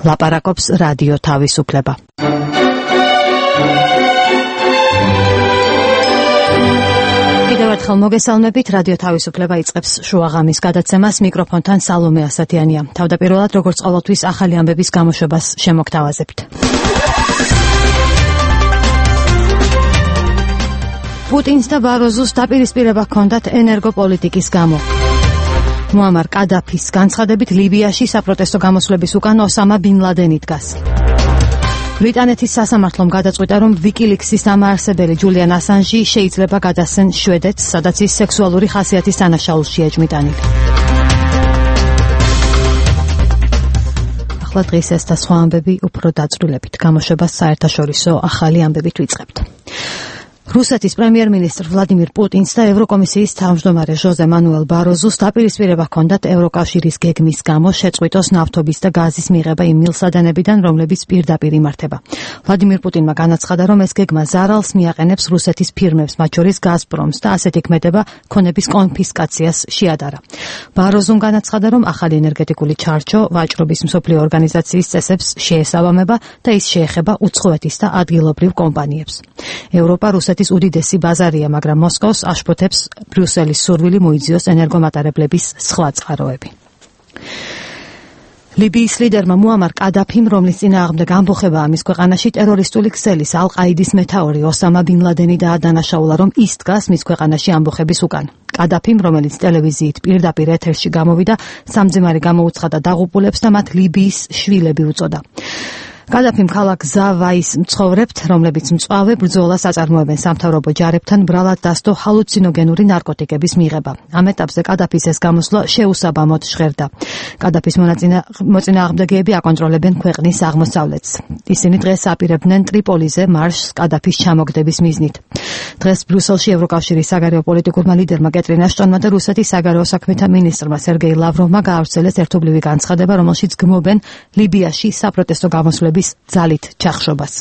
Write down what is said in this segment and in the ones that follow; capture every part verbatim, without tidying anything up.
ლაპარაკობს რადიო თავისუფლება. კიდევ ერთხელ მოგესალმებით, რადიო თავისუფლება იწყებს შუაღამის გადაცემას, მიკროფონთან სალომე ასათიანია. თავდაპირველად, როგორც ყოველთვის, ახალი ამბების გამოშვებას შემოგთავაზებთ. პუტინს და ბაროზოს დაპირისპირება ჰქონდათ ენერგოპოლიტიკის გამო. მუამარ კადაფის განცხადებით ლიბიაში საპროტესტო გამოსვლების უკან ოსამა ბინ ლადენი დგას. ბრიტანეთის სასამართლომ გადაწყვიტა, რომ ვიკილიქსის დამაარსებელი ჯულიან ასანჟი შეიძლება გადასცენ შვედეთს, სადაც ის სექსუალური ხასიათის დანაშაულშია ეჭვმიტანილი. ახლა დღეს ეს და სხვა ამბები უფრო დაწვრილებით. გამოშვებას საერთაშორისო ახალი ამბებით ვიწყებთ. რუსეთის პრემიერ-მინისტრ ვლადიმირ პუტინს და ევროკომისიის თავმჯდომარე ჟოზე მანუელ ბაროზოს დაპირისპირება ჰქონდათ ევროკავშირის გეგმის გამო შეწყვიტოს ნავთობის და გაზის მიღება იმ მილსადენებიდან, რომლებიც პირდაპირ იმართება. ვლადიმირ პუტინმა განაცხადა, რომ ეს გეგმა ზარალს მიაყენებს რუსეთის ფირმებს, მათ შორის გაზპრომს და ასეთი ქმედება ქონების კონფისკაციას შეადარა. ბაროზომ განაცხადა, რომ ახალი ენერგეტიკული ჩარჩო ვაჭრობის მსოფლიო ორგანიზაციის წესებს შეესაბამება და ის შეეხება უცხოეთის და ადგილობრივ კომპანიებს. ევროპა რუსეთის ის უდიდესი ბაზარია, მაგრამ მოსკოვს აშფოთებს ბრიუსელის სურვილი მოიძიოს ენერგომატარებლების სხვა წყაროები. ლიბიის ლიდერმა მუამარ კადაფიმ, რომლის წინააღმდეგ ამბოხებაა მის ქვეყანაში ტერორისტული ქსელის ალ-ყაიდის მეთაური ოსამა ბინ ლადენი დაადანაშაულა, რომ ის დგას მის ქვეყანაში ამბოხების უკან. კადაფიმ, რომელიც ტელევიზიით პირდაპირ ეთერში გამოვიდა, სამძიმარი გამოუცხადა დაღუპულებს და მათ ლიბიის შვილები უწოდა. კადაფიმ ქალაქ ზავაის მცხოვრებთ, რომლებიც მწვავე ბრძოლას აწარმოებენ სამთავრობო ჯარებთან, ბრალად დასდო ჰალუცინოგენური ნარკოტიკების მიღება. ამ ეტაპზე კადაფის ეს გამოსვლა შეუსაბამოდ ჟღერდა. კადაფის მოწინააღმდეგეები აკონტროლებენ ქვეყნის აღმოსავლეთს. ისინი დღეს აპირებდნენ ტრიპოლიზე მარშს კადაფის ჩამოგდების მიზნით. დღეს ბრიუსელში ევროკავშირის საგარეო პოლიტიკურმა ლიდერმა კეტრინ აშტონმა და რუსეთის საგარეო საქმეთა მინისტრმა სერგეი ლავროვმა გაავრცელეს ერთობლივი განცხადება, რომელშიც გმობენ ლიბიაში საპროტესტო გამოსვლების ძალით ჩახშობას.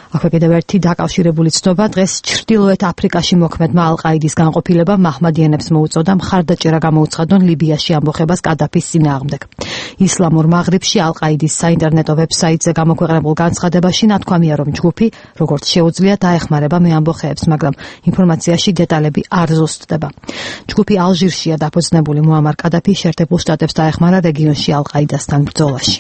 აქვე კიდევ ერთი დაკავშირებული ცნობა. დღეს ჩრდილოეთ აფრიკაში მოქმედმა ალ-ყაიდის განყოფილება მაჰმადიანებს მოუწოდა მხარდაჭერა გამოუცხადონ ლიბიაში ამბოხებას კადაფის წინააღმდეგ. ისლამურ მაღრიბში ალ-ყაიდის საინტერნეტო ვებსაიტზე გამოქვეყნებულ განცხადებაში ნათქვამია, რომ ჯგუფი, როგორც შეუძლია, დაეხმარება მეამბოხეებს, მაგრამ ინფორმაციაში დეტალები არ ზუსტდება. ჯგუფი ალჟირშია დაფუძნებული. მუამარ კადაფი შეერთებულ შტატებს დაეხმარა რეგიონში ალ-ყაიდასთან ბრძოლაში.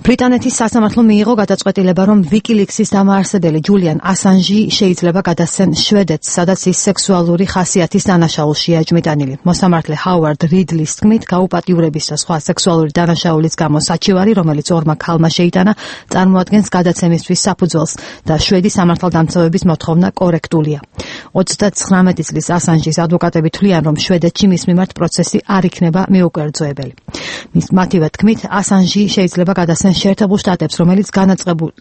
ბრიტანეთის სასამართლომ მიიღო გადაწყვეტილება, რომ ვიკილიქსის დამაარსებელი ჯულიან ასანჟი შეიძლება გადასცენ შვედეთს, სადაც ის სექსუალური ხასიათის დანაშაულშია ეჭვმიტანილი. მოსამართლე ჰაუარდ რიდლის თქმით, გაუპატიურების და სხვა სექსუალური დანაშაულის გამო საჩივარი, რომელიც ორმა ქალმა შეიტანა, წარმოადგენს გადაცემისთვის საფუძველს და შვედი სამართალდამცავების მოთხოვნა კორექტულია. ოცდათხრამეტი წლის ასანჟის ადვოკატები თვლიან, რომ შვედეთში მის მიმართ პროცესი არ იქნება მიუკერძოებელი. მის მათივე თქმით, ასანჟი შეიძლება გადასცენ შეერთებულ შტატებს, რომელიც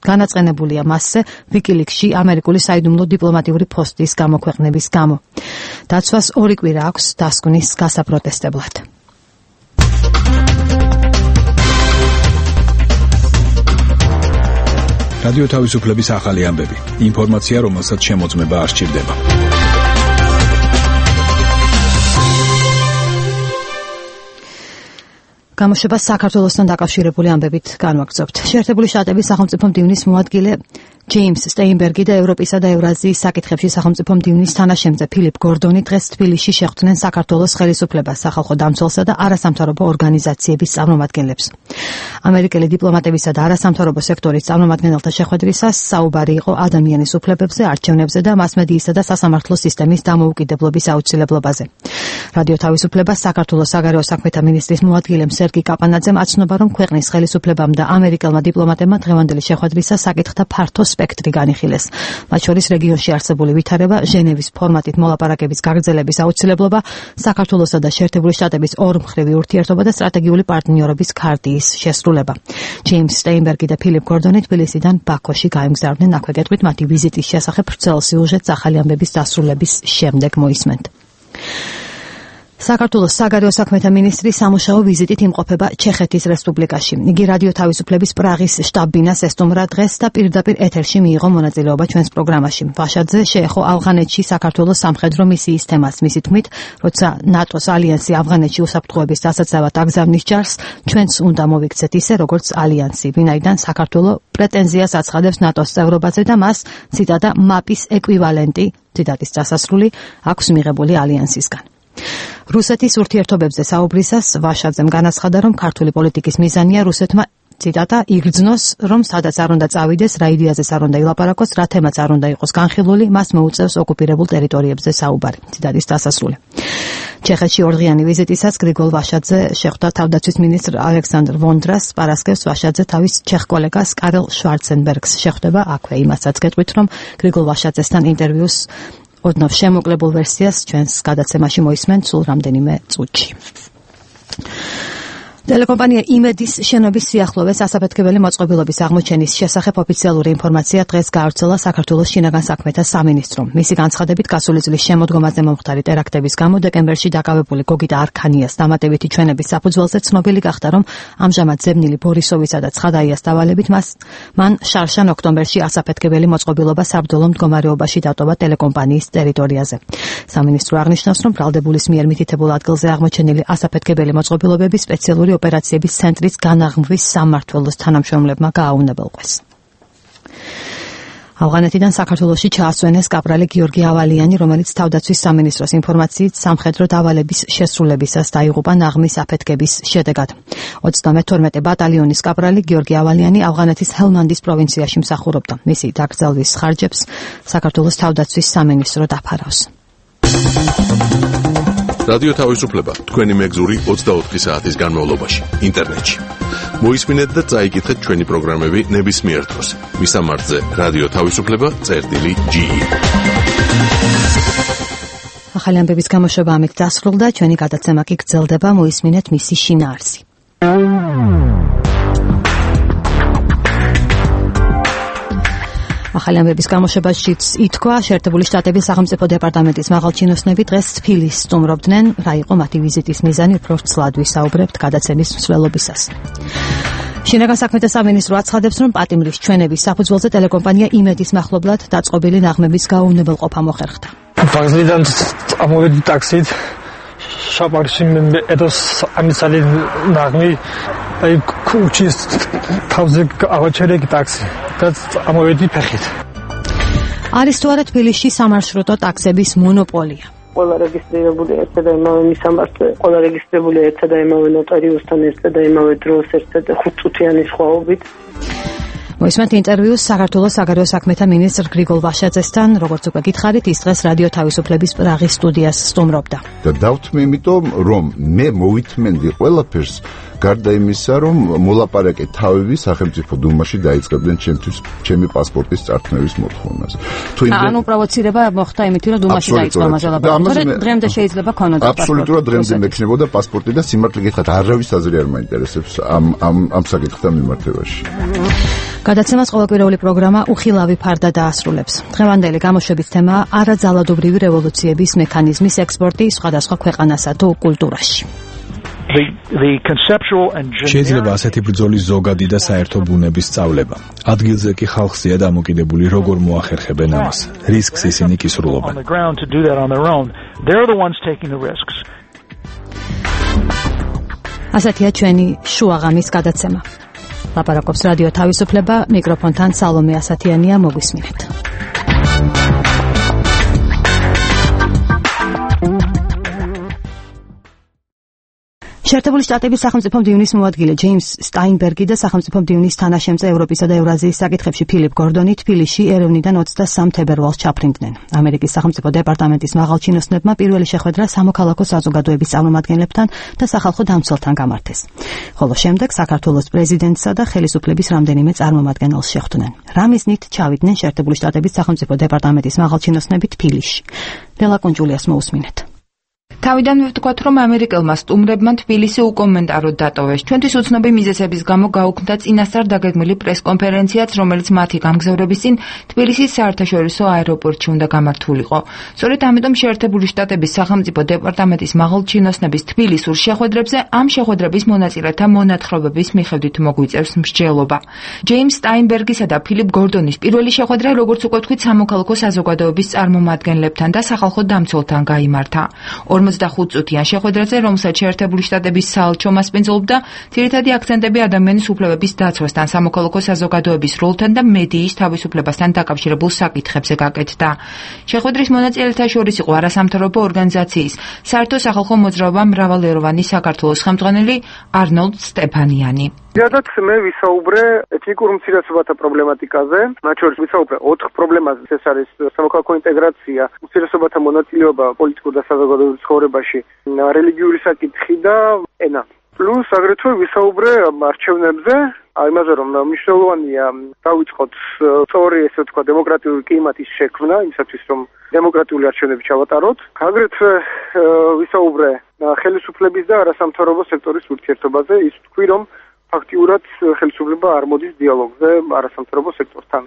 განაწყენებულია მასზე ვიკილიქსში ამერიკული საიდუმლო დიპლომატიური პოსტის გამოქვეყნების გამო. დაცვას ორი კვირა აქვს დასკვნის გასაპროტესტებლად. რადიო თავისუფლების ახალი ამბები. ინფორმაცია, რომელსაც შემოწმება არ სჭირდება. გამოშვებას საქართველოსთან დაკავშირებული ამბებით განვაგრძობთ. შეერთებული შტატების სახელმწიფო მდივნის მოადგილე ჯეიმს სტეინბერგი და ევროპისა და ევრაზიის საკითხებში სახელმწიფო მდივნის თანაშემწე ფილიპ გორდონი დღეს თბილისში შეხვდნენ საქართველოს ხელისუფლებას, სახალხო დამცველსა და არასამთავრობო ორგანიზაციების წარმომადგენლებს. ამერიკელი დიპლომატებისა და არასამთავრობო სექტორის წარმომადგენელთა შეხვედრისას საუბარი იყო ადამიანის უფლებებზე, არჩევნებზე და მასმედიისა და სასამართლო სისტემის დამოუკიდებლობის აუცილებლობაზე. რადიო თავისუფლებას საქართველოს საგარეო საქმეთა მინისტრის მოადგილემ სერგი კაპანაძემ აცნობა, რომ ქვეყნის ხელისუფლებამ და ამერიკელმა დიპლომატებმა დღევანდელი შეხვედრისას საკითხთა ფართო სპექტრი განიხილეს. მათ შორის რეგიონში არსებული ვითარება, ჟენევის ფორმატით მოლაპარაკების გაგრძელების აუცილებლობა, საქართველოსა და შეერთებული შტატების ორმხრივი ურთიერთობა და სტრატეგიული პარტნიორობის ქარტიის შესრულება. ჯეიმს სტეინბერგი და ფილიპ გორდონი თბილისიდან ბაქოში გაემგზავრნენ. აქვე გეტყვით მათი ვიზიტის შესახებ ვრცელ სიუჟეტს ახალი ამბების დასრულების შემდეგ მოისმენთ. საქართველოს საგარეო საქმეთა მინისტრი სამუშაო ვიზიტით იმყოფება ჩეხეთის რესპუბლიკაში. იგი რადიო თავისუფლების პრაღის შტაბ-ბინას ესტუმრა დღეს და პირდაპირ ეთერში მიიღო მონაწილეობა ჩვენს პროგრამაში. ვაშაძე შეეხო ავღანეთში საქართველოს სამხედრო მისიის თემას. მისი თქმით, როცა ნატოს ალიანსი ავღანეთში უსაფრთხოების დასაცავად აგზავნის ჯარს, ჩვენც უნდა მოვიქცეთ ისე, როგორც ალიანსი, ვინაიდან საქართველო პრეტენზიას აცხადებს ნატოს წევრობაზე და მას ციტატა მაპის ეკვივალენტი, ციტატის დასასრული, აქვს მიღებული ალიანსისგან. რუსეთის ურთიერთობებზე საუბრისას ვაშაძემ განაცხადა, რომ ქართული პოლიტიკის მიზანია რუსეთმა ციტატა იგრძნოს, რომ სადაც არ უნდა წავიდეს, რა იდეაზეს არ უნდა ილაპარაკოს, რა თემაც არ უნდა იყოს განხილული, მას მოუწევს ოკუპირებულ ტერიტორიებზე საუბარი. ციტატის დასასრული. ჩეხეთში ორდღიანი ვიზიტისას გრიგოლ ვაშაძე შეხვდა თავდაცვის მინისტრ ალექსანდრ ვონდრას. პარასკევს ვაშაძე თავის ჩეხ კოლეგას კარელ შვარცენბერგს შეხვდება. აქვე იმასაც გეტყვით, რომ გრიგოლ ვაშაძესთან ინტერვიუს ოდნავ შემოკლებულ ვერსიას ჩვენს გადაცემაში მოისმენთ სულ რამდენიმე წუთში. ტელეკომპანია იმედის შენობის სიახლოვეს ასაფეთქებელი მოწყობილობის აღმოჩენის შესახებ ოფიციალური ინფორმაცია დღეს გაავრცელა საქართველოს შინაგან საქმეთა სამინისტრომ. მისი განცხადებით, გასული წლის შემოდგომაზე მომხდარი ტერაქტების გამო დეკემბერში დაკავებული გოგიტა არქანიას დამატებითი ჩვენების საფუძველზე ცნობილი გახდა, რომ ამჟამად ზებნილი ბორისოვისა და ცხადაიას დავალებით მას მან შარშან ოქტომბერში ასაფეთქებელი მოწყობილობა საბრძოლო მდგომარეობაში დატოვა ტელეკომპანიის ტერიტორიაზე. სამინისტრო აღნიშნავს, რომ ბრალდებულის მიერ მითითებულ ადგილზე აღმოჩენილი ასაფეთქებელი მოწყობილობები სპეციალური ოპერაციების ცენტრის განაღმვის სამმართველოს თანამშრომლებმა გააუნებელყვეს. ავღანეთიდან საქართველოში ჩაასვენეს კაპრალი გიორგი ავალიანი, რომელიც თავდაცვის სამინისტროს ინფორმაციით სამხედრო დავალების შესრულებისას დაიღუპა ნაღმის აფეთქების შედეგად. ოცდამეთორმეტე ბატალიონის კაპრალი გიორგი ავალიანი ავღანეთის ჰელმანდის პროვინციაში მსახურობდა. მისი დაკრძალვის ხარჯებს საქართველოს თავდაცვის სამინისტრო დაფარავს. რადიო თავისუფლება თქვენი მეგზური ოცდაოთხი საათის განმავლობაში ინტერნეტში. მოისმინეთ და წაიკითხეთ ჩვენი პროგრამები ნებისმიერ დროს. მისამართზე რადიო თავისუფლება წერტილი ჯი ი. ახალი ამბების გამოშვება ამით დასრულდა. ჩვენი გადაცემა კი გრძელდება. მოისმინეთ მისი შინაარსი. ახალი ამბების გამოშვებაშიც ითქვა, შეერთებული შტატების სახელმწიფო დეპარტამენტის მაღალჩინოსნები დღეს თბილისს სტუმრობდნენ. რა იყო მათი ვიზიტის მიზანი, უფრო ცვლად ვისაუბრებთ გადაცემის მსვლელობისას. შინაგან საქმეთა სამინისტრო აცხადებს, რომ პატიმრის ჩვენების საფუძველზე ტელეკომპანია იმედის მახლობლად დაწყობილი ნაღმების გაუვნებელყოფა მოხერხდა. ბაგზიდან ამოვედი ტაქსით. შაბარში ედოს ამისალი ნაღმი აი ქუჩის თავზე ავაჩერეკი ტაქსი და ამოვედი ფეხით. არის თუ არა თბილისში სამარშრუტო ტაქსების მონოპოლია? ყველა რეგისტრირებული ერთად და იმავე მისამართზე, ყველა რეგისტრირებული ერთად და იმავე ნოტარიუსთან ერთად და იმავე დროს ერთად ხუთწუთიანი სხვაობით. მოისმენთ ინტერვიუს საქართველოს საგარეო საქმეთა მინისტრ გრიგოლ ვაშაძესთან. როგორც უკვე გითხარით, ის დღეს რადიო თავისუფლების პრაღის სტუდიას სტუმრობდა. და დავთმე იმიტომ, რომ მე მოვითმენდი ყველაფერს, გარდა იმისა, რომ მოლაპარაკე თავები სახელმწიფო დუმაში დაიწყებდნენ ჩემთვის ჩემი პასპორტის წარქმევის მოთხოვნას. თუ იმ ანუ პროვოცირება მოხდა იმით, რომ დუმაში დაიწყო ამაზე ლაპარაკი. დრემდე შეიძლება ქონოდა პასპორტი. აბსოლუტურად დრემდე მექნებოდა პასპორტი და სიმართლე გითხრათ, არავის აზრი არ მაინტერესებს ამ ამ ამ საკითხთან მიმართებაში. გადაცემას ყოველკვირეული პროგრამა უხილავი ფარდა დაასრულებს. დღევანდელი გამოშვების თემაა არაძალადობრივი რევოლუციების მექანიზმის ექსპორტი სხვადასხვა ქვეყანასა თუ კულტურაში. შეიძლება ასეთი ბრძოლის ზოგადი და საერთო ბუნების სწავლება. ადგილზე კი ხალხზეა დამოკიდებული, როგორ მოახერხებენ ამას. რისკს ისინი კისრულობენ. ასეთია ჩვენი შუაღამის გადაცემა. ლაპარაკობს რადიო თავისუფლება, მიკროფონთან სალომე ასათიანია, მოგვისმინეთ. შეერთებული შტატების სახელმწიფო მდივნის მოადგილე ჯეიმს სტაინბერგი და სახელმწიფო მდივნის თანაშემწე ევროპისა და ევრაზიის საკითხებში ფილიპ გორდონი თბილისში ერევნიდან ოცდასამ თებერვალს ჩაფრინდნენ. ამერიკის სახელმწიფო დეპარტამენტის მაღალჩინოსნებმა პირველი შეხვედრა სამოქალაქო საზოგადოების წარმომადგენლებთან და სახალხო დამცველთან გამართეს. ხოლო შემდეგ საქართველოს პრეზიდენტსა და ხელისუფლების რამდენიმე წარმომადგენელს შეხვდნენ. რა მიზნით ჩავიდნენ შეერთებული შტატების სახელმწიფო დეპარტამენტის მაღალჩინოსნები თბილისში? ლელა კუნჯულიას მოусმინეთ. თავიდანვე ვთქვათ, რომ ამერიკელმა სტუმრებმა თბილისი უკომენტაროდ დატოვეს. ჩვენთვის უცნობი მიზეზების გამო გაუქმდა წინასწარ დაგეგმილი პრესკონფერენციაც, რომელიც მათი გამგზავრების წინ თბილისის საერთაშორისო აეროპორტში უნდა გამართულიყო. სწორედ ამიტომ შეერთებული შტატების სახელმწიფო დეპარტამენტის მაღალჩინოსნების თბილისურ შეხვედრებზე ამ შეხვედრების მონაწილეთა მონათხრობების მიხედვით მოგვიწევს მსჯელობა. ჯეიმს სტაინბერგისა და ფილიპ გორდონის პირველი შეხვედრა, როგორც უკვე ვთქვით, სამოქალაქო საზოგადოების წარმომადგენლებთან და სახალხო დამცველთან გაიმართა. ორმოცდახუთ წუთიან შეხვედრაზე, რომელსაც შეერთებული შტატების საელჩო მასპინძლობდა, ძირითადი აქცენტები ადამიანის უფლებების დაცვასთან, სამოქალაქო საზოგადოების როლთან და მედიის თავისუფლებასთან დაკავშირებულ საკითხებზე გაკეთდა. შეხვედრის მონაწილეთა შორის იყო არასამთავრობო ორგანიზაციის საერთო სახალხო მოძრაობა მრავალეროვანი საქართველოს ხელმძღვანელი არნოლდ სტეფანიანი. ზოგადად მე ვისაუბრე ეთნიკურ უმცირესობათა პრობლემატიკაზე, მათ შორის ვისაუბრე ოთხ პრობლემაზე. ეს არის სამოქალაქო ინტეგრაცია, უმცირესობათა მონაწილეობა პოლიტიკურ და საზოგადოებრივ ცხოვრებაში, რელიგიური საკითხი და ენა. პლუს აგრეთვე ვისაუბრე არჩევნებზე, იმაზე რომ მნიშვნელოვანია დავიწყოთ სწორი, ესე ვთქვა, დემოკრატიული კლიმატის შექმნა, იმისათვის რომ დემოკრატიული არჩევნები ჩავატაროთ. აგრეთვე ვისაუბრე ხელისუფლების და არასამთავრობო სექტორის ურთიერთობაზე, ის ვთქვი, რომ ფაქტიურად ხელისუფლება არ მოდის დიალოგზე არასამთავრობო სექტორთან.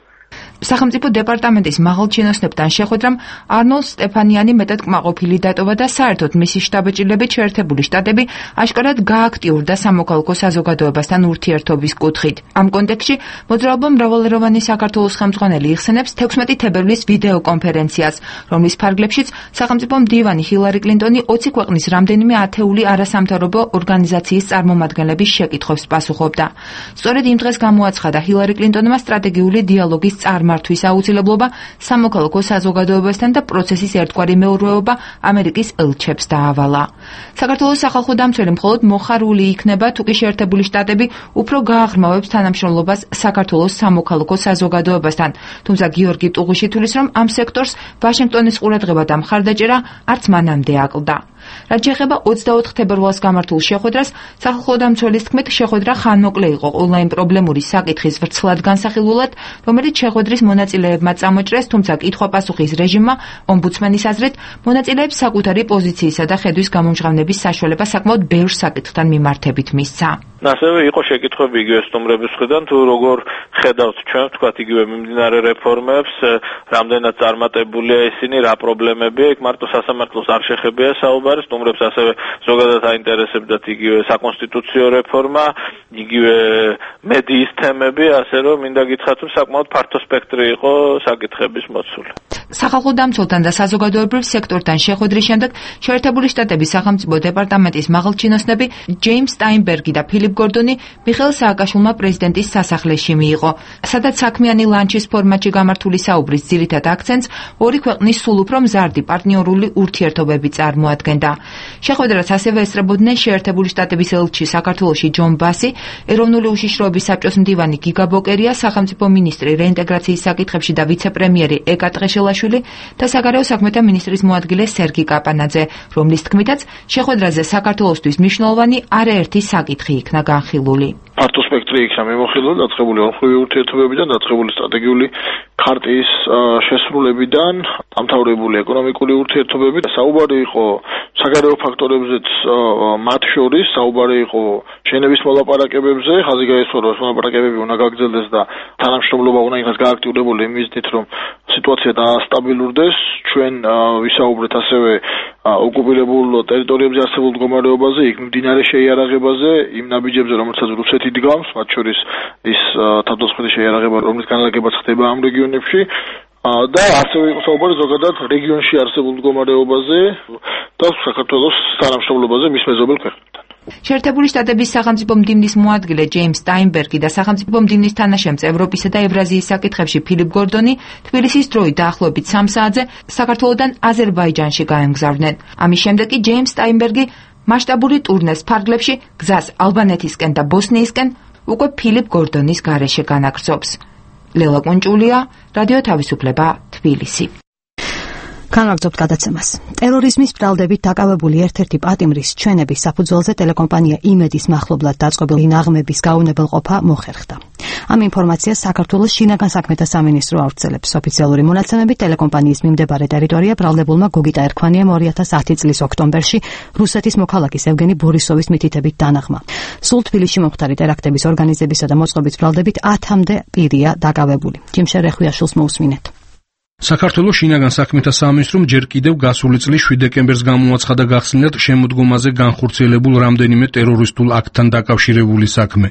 სახელმწიფო დეპარტამენტის მაღალჩინოსნებთან შეხვედრამ არნოლდ სტეფანიანი მეტად კმაყოფილი დატოვა და საერთოდ მისი შტაბ-ჭირლებით შეერთებული შტატები აშკარად გააქტიურდა სამოქალაქო საზოგადოებასთან ურთიერთობის კუთხით. ამ კონტექსტში მოძრაობა მრავალეროვანი საქართველოს ხელმძღვანელი იხსენებს თექვსმეტი თებერვლის ვიდეო კონფერენციას, რომლის ფარგლებშიც სახელმწიფო მდივანი ჰილარი კლინტონი ოცი ქვეყნის რამდენიმე ათეული არასამთავრობო ორგანიზაციის წარმომადგენლების შეკითხვებს პასუხობდა. სწორედ იმ დღეს გამოაცხადა ჰილარი კლინტონმა სტრატეგიული დიალოგის წარმართვის აუცილებლობა სამოქალაქო საზოგადოებასთან და პროცესის ერთგვარი მეურვეობა ამერიკის ელჩებს დაავალა. საქართველოს სახალხო დამცველი მხოლოდ მოხარული იქნება, თუ კი შეერთებული შტატები უფრო გააღრმავებს თანამშრომლობას საქართველოს სამოქალაქო საზოგადოებასთან. თუმცა გიორგი ტუღუშითულის რომ ამ სექტორს ვაშინგტონის ყურადღება და მხარდაჭერა არც მანამდე აკლდა. რაც შეეხება ოცდაოთხ თებერვალს გამართულ შეხვედრას, სახალხო დამცველის თქმით, შეხვედრა ხანმოკლე იყო ონლაინ პრობლემური საკითხის ვრცლად განსახილულად, რომელიც შეხვედრის მონაწილეებმა წამოჭრეს, თუმცა კითხვა-პასუხის რეჟიმმა ომბუდსმენის აზრით მონაწილეებს საკუთარი პოზიციისა და ხედვის გამომჟღავნების საშუალება საკმაოდ ბევრ საკითხთან მიმართებით მისცა. ასევე იყო შეკითხვები იგივე სტუმრების მხრიდან, თუ როგორ ხედავთ ჩვენ, თქვათ, იგივე მიმდინარე რეფორმებს, რამდენად წარმატებულია ისინი, რა პრობლემებია, იქ მარტო სასამართლოს არ შეხებია საუბარი, სტუმრებს ასევე ზოგადად აინტერესებდათ იგივე საკონსტიტუციო რეფორმა, იგივე მედიის თემები, ასე რომ მინდა გითხრათ, რომ საკმაოდ ფართო სპექტრი იყო საკითხების მოცული. სახალხო დამცველთან და საზოგადოებრივ სექტორთან შეხვედრის შემდეგ შეერთებული შტატების სახელმწიფო დეპარტამენტის მაღალჩინოსნები ჯეიმს სტაინბერგი და ფილიპ გორდონი მიხეილ სააკაშვილმა პრეზიდენტის სასახლეში მიიღო, სადაც საქმიანი ლანჩის ფორმატში გამართული საუბრის ძირითად აქცენტს ორი ქვეყნის სულ უფრო მზარდი პარტნიორული ურთიერთობები წარმოადგენდა. შეხვედრას ასევე ესწრებოდნენ შეერთებული შტატების ელჩი საქართველოში ჯონ ბასი, ეროვნული უშიშროების საბჭოს მდივანი გიგა ბოკერია, სახელმწიფო მინისტრი რეინტეგრაციის საკითხებში და ვიცე-პრემიერი ეკა ტყეშელაშვილი და საგარეო საქმეთა მინისტრის მოადგილე სერგი კაპანაძე, რომლის თქმითაც შეხვედრაზე საქართველოსთვის მნიშვნელოვანი არაერთი საკითხი იქნა განხილული. ფართო სპექტრი იქნა მიმოხილული, დაწყებული ორმხრივი ურთიერთობებიდან, დაწყებული სტრატეგიული ქარტიის შესრულებიდან, დამთავრებული ეკონომიკური ურთიერთობებით. საუბარი იყო საგარეო ფაქტორებზეც, მათ შორის საუბარი იყო შენების მოლაპარაკებებზე, ხაზი გაესვა, რომ მოლაპარაკებები უნდა გაგრძელდეს და თანამშრომლობა უნდა იქნას გააქტიურებული იმ მიზნით, რომ სიტუაცია დაასტაბილურდეს. ჩვენ ვისაუბრეთ ასევე ოკუპირებულ ტერიტორიებზე არსებულ მდგომარეობაზე, იქ მდინარე შეიარაღებაზე, იმ ნაბიჯებზე, რომელსაც რუსეთი დგამს, მათ შორის ის თავდასხმელი შეიარაღება, რომლის განლაგებაც ხდება ამ რეგიონებში. და ასევე იყო საუბარი ზოგადად რეგიონში არსებულ მდგომარეობაზე და საქართველოს თანამშრომლობაზე მის მეზობელ ქვეყნებთან. შეერთებული შტატების სახელმწიფო მდივნის მოადგილე ჯეიმს სტაინბერგი და სახელმწიფო მდივნის თანაშემწე ევროპისა და ევრაზიის საკითხებში ფილიპ გორდონი თბილისის დროით დაახლოებით სამ საათზე საქართველოდან აზერბაიჯანში გაემგზავრნენ. ამის შემდეგ კი ჯეიმს სტაინბერგი მასშტაბური ტურნეს ფარგლებში გზას ალბანეთისკენ და ბოსნიისკენ უკვე ფილიპ გორდონის გარეშე განაგრძობს. ლელა კუნჭულია, რადიო თავისუფლება, თბილისი. განვაგრძობთ გადაცემას. ტერორიზმის ბრალდებით დაკავებული ერთ-ერთი პატიმრის ჩვენების საფუძველზე ტელეკომპანია იმედის მახლობლად დაწყობილი ნაღმების გაუნებელყოფა მოხერხდა. ამ ინფორმაციას საქართველოს შინაგან საქმეთა სამინისტრო ავრცელებს. ოფიციალური მონაცემებით ტელეკომპანიის მიმდებარე ტერიტორია ბრალდებულმა გოგიტა ერქვანიამ ორი ათას ათი წლის ოქტომბერში რუსეთის მოქალაქის ევგენი ბორისოვის მითითებით დანაღმა. სულ თბილისში მომხდარი ტერაქტების ორგანიზებისა და მოწყობის ბრალდებით ათამდე პირია დაკავებული. ჯიმშერ რეხვიაშვილს მოусმინეთ. საქართველოს შინაგან საქმეთა სამინისტრომ ჯერ კიდევ გასული წლის შვიდ დეკემბერს გამოაცხადა გახსნილად შემოდგომაზე განხორციელებულ რამდენიმე ტერორისტულ აქტთან დაკავშირებული საქმე.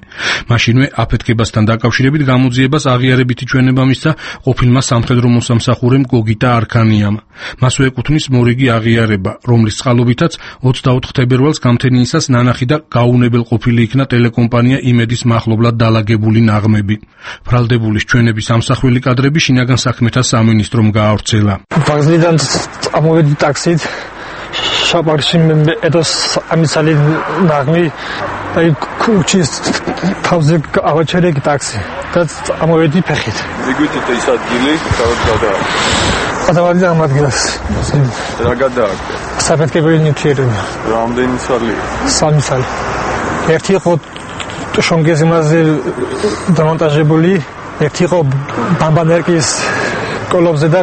მაშინვე აფეთქებასთან დაკავშირებით გამოძიებას აღიარებითი ჩვენება მისცა ყოფილმა სამხედრო მოსამსახურემ გოგიტა არქანიამ. მასვე ეკუთვნის მორიგი აღიარება, რომლის წყალობითაც ოცდაოთხ თებერვალს გამთენიისას ნანახი და გაუნებელყოფილი იქნა ტელეკომპანია იმედის მახლობლად დალაგებული ნაღმები. ბრალდებულის ჩვენების ამსახველი კადრები შინაგან საქმეთა სამინისტრომ გაავრცელა. ვაგზლიდან ამოვედი ტაქსით. შაბათში მე ედოს ამისალი ნაღმი და ქუჩის თავზე ავაჩერე ტაქსი. და ამოვედი ფეხით. მიგვიწით ის ადგილი, სადაც გადაა. გადავარდი ამ ადგილას. რა გადააკეთე? საფეთქებელი ნივთიერება. რამდენი სალი? სამი სალი. ერთი იყო შონგეზიმაზე დამონტაჟებული, ერთი იყო ბამბანერკის კოლობზე და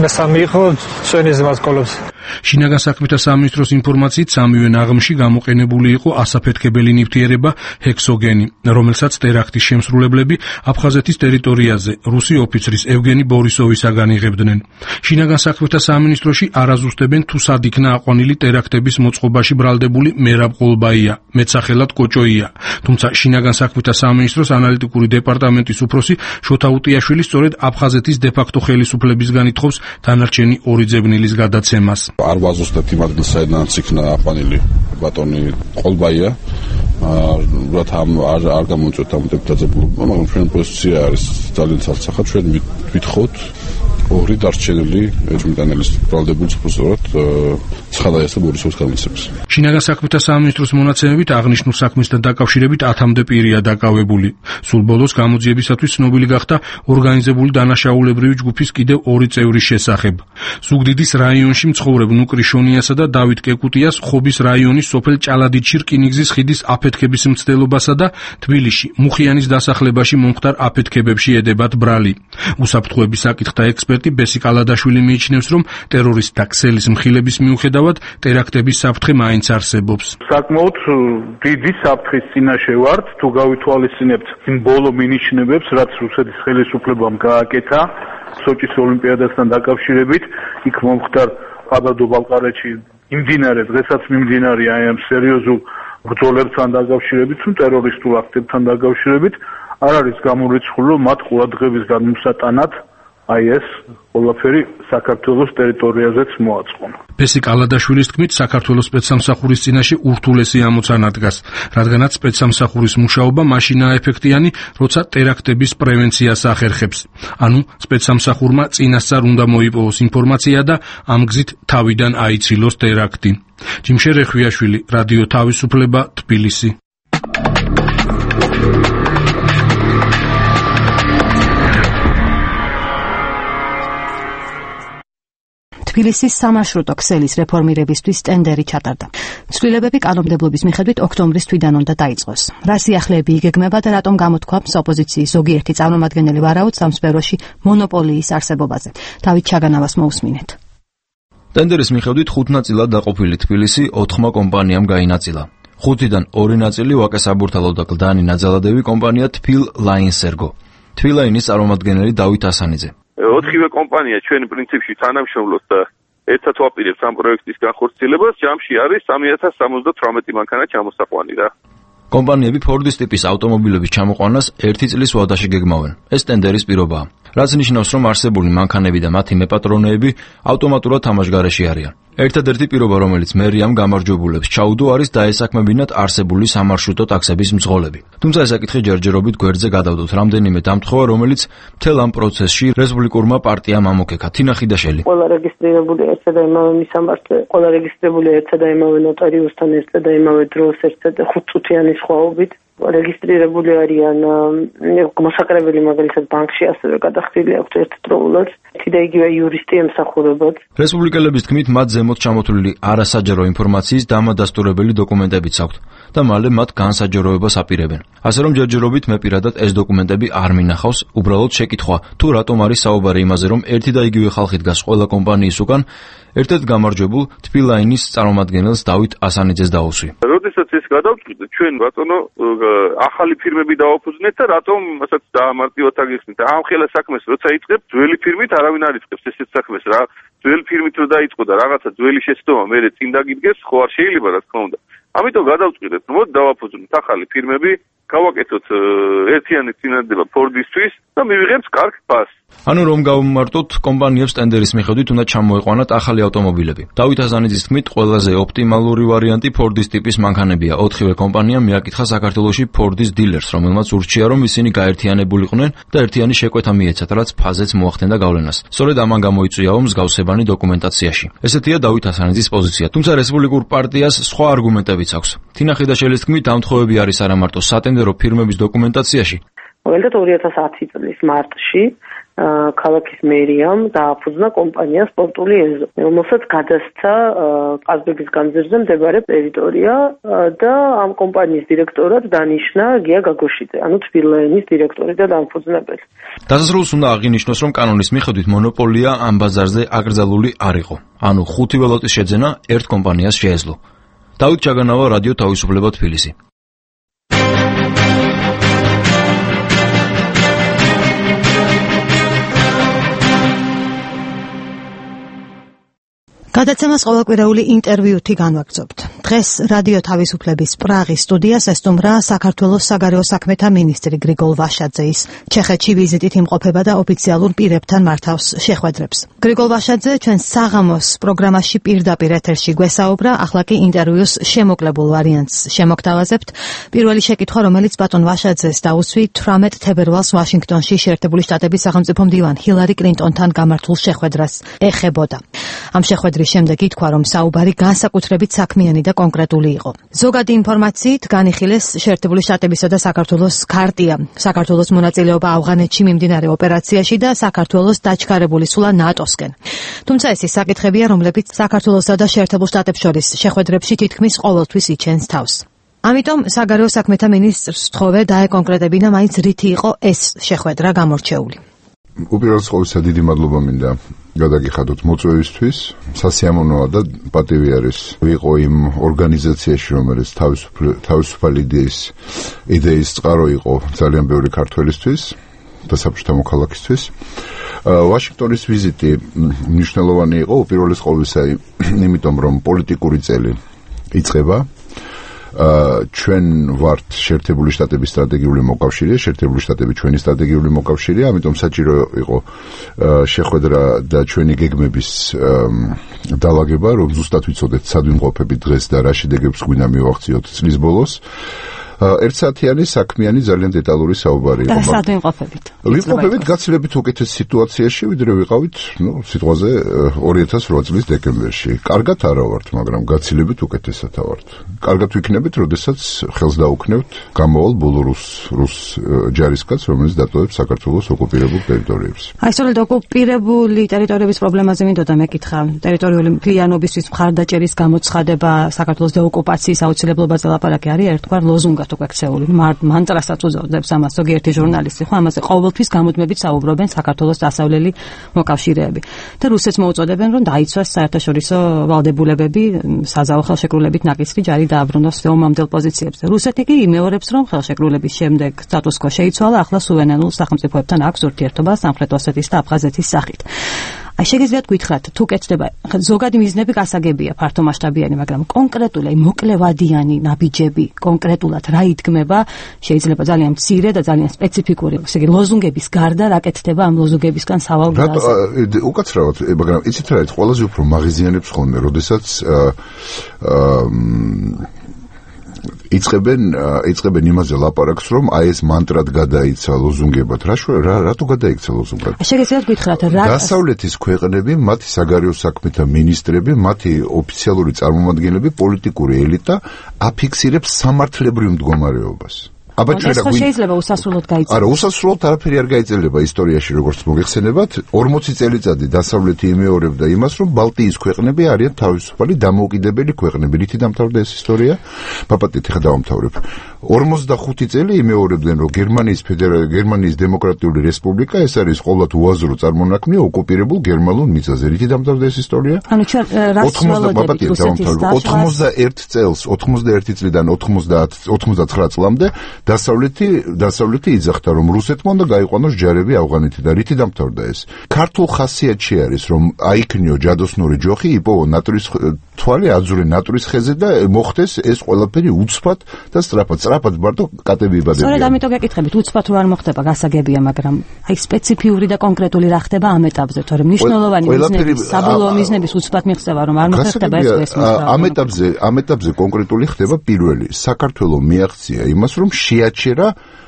მესამე იყო ჩვენიზმას კოლობზე. შინაგან საქმეთა სამინისტროს ინფორმაციით სამივე ნაღმში გამოყენებული იყო ასაფეთქებელი ნივთიერება ჰექსოგენი, რომელსაც ტერაქტის შემსრულებლები აფხაზეთის ტერიტორიაზე რუსი ოფიცრის ევგენი ბორისოვისაგან იღებდნენ. შინაგან საქმეთა სამინისტროში არაზუსტებენ თუ სად იქნა აყვანილი ტერაქტების მოწყობაში ბრალდებული მერაბ ყოლბაია, მეცახელად კოჭოია. თუმცა შინაგან საქმეთა სამინისტროს ანალიტიკური დეპარტამენტის უფროსი შოთა უტიაშვილი სწორედ აფხაზეთის დე-ფაქტო ხელისუფლებისგან ითხოვს დანარჩენი ორი ძებნილის გადაცემას. არ ვაზუსტებთ იმ ადგილს, საიდანაც იქნა აყვანილი ბატონი ყოლბაია. უბრალოდ ამ არ არ გამოიწვევთ ამ დეპუტატებულობა, მაგრამ ჩვენ პოზიცია არის ძალიან ცალსახა. ჩვენ ვითხოვთ ორი დარჩენილი ეჭვმიტანელის ბრალდებულს უბრალოდ ცხადაიას და ბორისოვის განმტკიცებას. შინაგან საქმეთა სამინისტროს მონაცემებით აღნიშნულ საქმესთან დაკავშირებით ათამდე პირია დაკავებული. სულ ბოლოს გამოძიებისათვის ცნობილი გახდა ორგანიზებული დანაშაულებრივი ჯგუფის კიდევ ორი წევრის შესახებ. ზუგდიდის რაიონში მცხოვრებ ნუკრი შონიასა და დავით კეკუტიას ხობის რაიონის სოფელ ჭალადიდში რკინიგზის ხიდის აფეთქების მცდელობასა და თბილისში მუხიანის დასახლებაში მომხდარ აფეთქებებში ედებათ ბრალი. უსაფრთხოების საკითხთა ექსპერტი ბესი კალადაშვილი მიიჩნევს, რომ ტერორისტთა ქსელის მხილების მიუხედავად ტერაქტების საფრთხე მაინც არსებობს. საკმაოდ დიდი საფრთხის წინაშე ვართ, თუ გავითვალისწინებთ იმ ბოლო მინიშნებებს, რაც რუსეთის ხელისუფლებამ გააკეთა სოჭის ოლიმპიადასთან დაკავშირებით, იქ მომხდარ ყაბარდო-ბალყარეთში იმდინარე დღესაც მიმდინარე აი ამ სერიოზულ ბრძოლებთან დაკავშირებით, თუ ტერორისტულ აქტებთან დაკავშირებით არ არის გამორიცხული, რომ მათ ყურადღების გადმოსატანად აი ეს ყველაფერი საქართველოს ტერიტორიაზეც მოაწყო. ბესი კალადაშვილის თქმით, საქართველოს სპეცსამსახურის წინაშე ურთულესი ამოცანა დგას, რადგანაც სპეცსამსახურის მუშაობა მაშინაა ეფექტიანი, როცა ტერაქტების პრევენციას ახერხებს. ანუ სპეცსამსახურმა წინასწარ უნდა მოიპოვოს ინფორმაცია და ამ გზით თავიდან აიცილოს ტერაქტი. ჯიმშერ რეხვიაშვილი, რადიო თავისუფლება, თბილისი. თბილისის სამარშრუტო ქსელის რეფორმირებისთვის ტენდერი ჩატარდა. ცვლილებები კანონმდებლობის მიხედვით ოქტომბრის თვიდან უნდა დაიწყოს. რა სიახლეები იგეგმება და რატომ გამოთქვამს ოპოზიციის ზოგიერთი წარმომადგენელი ვარაუდს ამ სფეროში მონოპოლიის არსებობაზე. დავით ჩაგანავას მოусმინეთ. ტენდერის მიხედვით ხუთ ნაწილად დაყოფილი თბილისი ოთხმა კომპანიამ გაინაწილა. ხუთიდან ორი ნაწილი ვაკე საბურთალო და კლდანი ნაძალადევი კომპანია თბილ ლაინსერგო. თბილაინის წარმომადგენელი დავით ასანიძე. ოთხივე კომპანია ჩვენ პრინციპში თანამშრომლობს და ერთად ვაპირებთ ამ პროექტის განხორციელებას. ჯამში არის სამი ათას სამოცდათვრამეტი მანქანა ჩამოსაყვანი რა. კომპანიები ფორდის ტიპის ავტომობილების ჩამოყვანას ერთი წლის ვადაში გეგმავენ. ეს ტენდერის პირობაა. რაც ნიშნავს, რომ არსებული მანქანები და მათი მეპატრონეები ავტომატურად თამაშგარეში არიან. ერთადერთი პირობა, რომელიც მერიამ გამარჯვებულებს ჩაუდო, არის დაესაქმებინათ არსებული სამარშრუტო ტაქსების მძღოლები. თუმცა ეს საკითხი ჯერჯერობით გვერდზე გადავდოთ რამდენიმე დამთხოვა, რომელიც მთელ ამ პროცესში რესპუბლიკურმა პარტიამ ამოქექა. თინა ხიდაშელი. ყველა რეგისტრირებული ერთსა და იმავე მისამართლე, ყველა რეგისტრირებული ერთსა და იმავე ნოტარიუსთან ერთსა და იმავე დროს ერთსა და ხუთწუთიანი სხვაობით. რეგისტრირებული არიან მოსაკრებელი მაგალითად ბანკში ასევე გადახდილი აქვთ ერთდროულად ერთი და იგივე იურისტი ემსახურებათ. რესპუბლიკელების თქმით მათ ზემოთ ჩამოთვლილი არასაჯარო ინფორმაციის დამადასტურებელი დოკუმენტებიც აქვთ და მალე მათ განსაჯაროებას აპირებენ. ასე რომ ჯერჯერობით მე პირადად ეს დოკუმენტები არ მინახავს, უბრალოდ შეკითხვა თუ რატომ არის საუბარი იმაზე, რომ ერთი და იგივე ხალხი დგას ყველა კომპანიის უკან, ერთ-ერთ გამარჯვებულ თბილაინის წარმომადგენელს დავით ასანიძეს დაუსვი. როდესაც ეს გადავწყვიტეთ, ჩვენ ბატონო ახალი ფირმები დავაფუძნეთ და რატომ მასაც დაამარტივოთ აგიხსნით. ამ ხელა საქმეს როცა იწყებ, ძველი ფირმით არავინ არ იწყებს ესეთ საქმეს რა. ძველი ფირმით რო დაიწყო და რაღაცა ძველი შეცდომა მერე წინ დაგიდგეს, ხო არ შეიძლება რა თქმა უნდა. ამიტომ გადავწყვიტეთ, მოდი დავაფუძნოთ ახალი ფირმები, გავაკეთოთ ერთიანი წინადადება ფორდისთვის და მივიღებთ კარგ ფასს. ანუ რომ გავმარტოთ, კომპანიებს ტენდერის მიხედვით უნდა ჩამოეყვანათ ახალი ავტომობილები. დავით ასანიძის თქმით, ყველაზე ოპტიმალური ვარიანტი ფორდის ტიპის მანქანებია. ოთხივე კომპანიამ მიაკითხა საქართველოში ფორდის დილერს, რომელმაც ურჩია, რომ ისინი გაერთიანებულიყვნენ და ერთიანი შეკვეთა მიეცათ, რაც ფაზეც მოახდენდა გავლენას. სწორედ ამან გამოიწვიაო მსგავსებანი დოკუმენტაციაში. ესეთია დავით ასანიძის პოზიცია. თუმცა რესპუბლიკურ პარტიას სხვა არგუმენტებიც აქვს. თინა ხიდაშელის თქმით, ამ თხოვები არის არა მარტო სატენდერო ფირმების დოკუმენტაციაში. მაგალითად ორი ათას ათი წლის მარტში ქალაქის მერიამ დააფუძნა კომპანია სპორტული ეზო, რომელსაც გადასცა ყაზბეგის განძერზე მდებარე ტერიტორია და ამ კომპანიის დირექტორად დანიშნა გია გაგოშიძე, ანუ თბილაინის დირექტორი და დამფუძნებელი. დასასრულს უნდა აღინიშნოს, რომ კანონის მიხედვით მონოპოლია ამ ბაზარზე აკრძალული არ იყო, ანუ ხუთი ველოტის შეძენა ერთ კომპანიას შეეძლო. დავით ჩაგანავა, რადიო თავისუფლება თბილისი. გადაცემას ყოველკვირეული ინტერვიუთი განვაგრძობთ. დღეს რადიო თავისუფლების პრაღის სტუდიას ესტუმრა საქართველოს საგარეო საქმეთა მინისტრი გრიგოლ ვაშაძე. ის ჩეხეთში ვიზიტით იმყოფება და ოფიციალურ პირებთან მართავს შეხვედრებს. გრიგოლ ვაშაძე ჩვენ საღამოს პროგრამაში პირდაპირ ეთერში გვესაუბრა, ახლა კი ინტერვიუს შემოკლებულ ვარიანტს შემოგთავაზებთ. პირველი შეკითხვა, რომელიც ბატონ ვაშაძეს დაუსვი, თვრამეტ თებერვალს ვაშინგტონში შეერთებული შტატების სახელმწიფო მდივან ჰილარი კლინტონთან გამართულ შეხვედრას ეხებოდა. ამ შეხვედრის შემდეგ ითქვა, რომ საუბარი განსაკუთრებით საქმიანი და კონკრეტული იყო. ზოგადი ინფორმაციით განიხილეს შეერთებული შტატებისა და საქართველოს ქარტია, საქართველოს მონაწილეობა ავღანეთში მიმდინარე ოპერაციაში და საქართველოს დაჩქარებული სულა ნატოსკენ. თუმცა ეს ის საკითხებია, რომლებიც საქართველოსა და შეერთებულ შტატებს შორის შეხვედრებში თითქმის ყოველთვის იჩენს თავს. ამიტომ საგარეო საქმეთა მინისტრს ვთხოვე დაეკონკრეტებინა, მაინც რითი იყო ეს შეხვედრა გამორჩეული. უპირველეს ყოვლისა დიდი მადლობა მინდა გადაგიხადოთ მოწვევისთვის. სასიამოვნოა და პატივი არის ვიყო იმ ორგანიზაციაში, რომელიც თავისუფალი იდეის იდეის წყარო იყო ძალიან ბევრი ქართველისთვის და საბჭოთა მოქალაქისთვის. ვაშინგტონის ვიზიტი მნიშვნელოვანი იყო უპირველეს ყოვლისა, იმიტომ რომ პოლიტიკური წელი იწყება. ჩვენ ვართ შეერთებული შტატების სტრატეგიული მოკავშირე, შეერთებული შტატები ჩვენი სტრატეგიული მოკავშირეა, ამიტომ საჭირო იყო შეხვედრა და ჩვენი გეგმების დალაგება, რომ ზუსტად ვიცოდეთ სად ვიმყოფებით დღეს და რა შედეგებს გვინდა მივახციოთ წლის ბოლოს. ერთსაათიანი საქმიანი ძალიან დეტალური საუბარი იყო. და სად ვიმყოფებით? ვიმყოფებით გაცილებით უკეთეს სიტუაციაში, ვიდრე ვიყავით, ნუ, სიტყვაზე ორი ათას ოთხ წლის დეკემბერში. კარგად არა ვართ, მაგრამ გაცილებით უკეთესად ვართ. კარგად ვიქნებით, როდესაც ხელს დაუქნევთ გამოვალ ბოლო რუს რუს ჯარისკაცს, რომელიც დატოვებს საქართველოს ოკუპირებულ ტერიტორიებს. აი, სწორედ ოკუპირებული ტერიტორიების პრობლემაზე მინდოდა მეკითხა. ტერიტორიული მთლიანობისთვის მხარდაჭერის გამოცხადება, საქართველოს დეოკუპაციის აუცილებლობაზე ლაპარაკი არის ერთგვარ ლოზუნგად უკვე ქცეული. მანტრასაც უწოდებს ამას ზოგიერთი ჟურნალისტი, ხო, ამაზე ყოველთვის გამუდმებით საუბრობენ საქართველოს დასავლელი მოკავშირეები. და რუსეთს მოუწოდებენ, რომ დაიცვას საერთაშორისო ვალდებულებები, საზავო ხელშეკრულებით ნაკისრი ჯარი დააბრუნოს ომამდელ პოზიციებზე. რუსეთი კი იმეორებს, რომ ხელშეკრულების შემდეგ სტატუს-კვო შეიცვალა, ახლა სუვერენულ სახელმწიფოებთან აქვს ურთიერთობა სამხრეთ ოსეთის და აფხაზეთის სახით. აი, შეგიძლიათ გითხრათ, თუ კეთდება, ზოგადი მიზნები გასაგებია, ფართომასშტაბიანი, მაგრამ კონკრეტული, მოკლევადიანი ნაბიჯები, კონკრეტულად რა იდგმება, შეიძლება ძალიან მცირე და ძალიან სპეციფიკური, ესე იგი, ლოზუნგების გარდა რა კეთდება ამ ლოზუნგებისგან სავალ გზაზე. უკაცრავად, მაგრამ იცით რა, ყველაზე უფრო მაღიზიანებს ხოლმე, როდესაც იწყებენ იწყებენ იმაზე ლაპარაკს, რომ აი ეს მანტრად გადაიცა ლოზუნგებად. რა რა რატო გადაიქცა ლოზუნგად? შეგიძლიათ გითხრათ რა დასავლეთის ქვეყნები, მათი საგარეო საქმეთა მინისტრები, მათი ოფიციალური წარმომადგენლები, პოლიტიკური ელიტა აფიქსირებს სამართლებრივ მდგომარეობას. აბა ჩვენ რა შეიძლება უსასრულოდ გაიწელოს? არა, უსასრულოდ არაფერი არ გაიწელება ისტორიაში, როგორც მოგეხსენებათ, ორმოცი წელიწადი დასავლეთი იმეორებდა იმას, რომ ბალტიის ქვეყნები არიან თავისუფალი დამოუკიდებელი ქვეყნები. რითი დამთავრდა ეს ისტორია? პაპატით ხა დავამთავრებ. ორმოცდახუთი წელი იმეორებდნენ, რომ გერმანიის ფედერალური გერმანიის დემოკრატიული რესპუბლიკა ეს არის ყოველთ უაზრო წარმონაქმნი ოკუპირებულ გერმანულ მიწაზე. რითი დამთავრდა ეს ისტორია? ანუ ჩვენ რას ველოდებით რუსეთის ოცდაერთ წელს, ოცდაერთი წლიდან ოცდაათი წლამდე დასავლეთი დასავლეთი იძახდა, რომ რუსეთმა უნდა გაიყვანოს ჯარები ავღანეთიდან და რითი დამთავრდა ეს? ქართულ ხასიათში არის, რომ აიქნიო ჯადოსნური ჯოხი, იპოვო ნატრის თვალი, აძურე ნატრის ხეზე და მოხდეს ეს ყველაფერი უცბად და სწრაფად. სწრაფად ბარდო კატები იბადებიან. სწორედ ამიტომ გეკითხებით, უცბად რო არ მოხდება, გასაგებია, მაგრამ აი სპეციფიური და კონკრეტული რა ხდება ამ ეტაპზე, თორემ მნიშვნელოვანი მიზნების, საბოლოო მიზნების უცბად მიღწევა რომ არ მოხდება ეს ესმის. ამ ეტაპზე, ამ ეტაპზე კონკრეტული ხდება პირველი. საქართველოს მიაღწია იმას, რომ შეაჩერა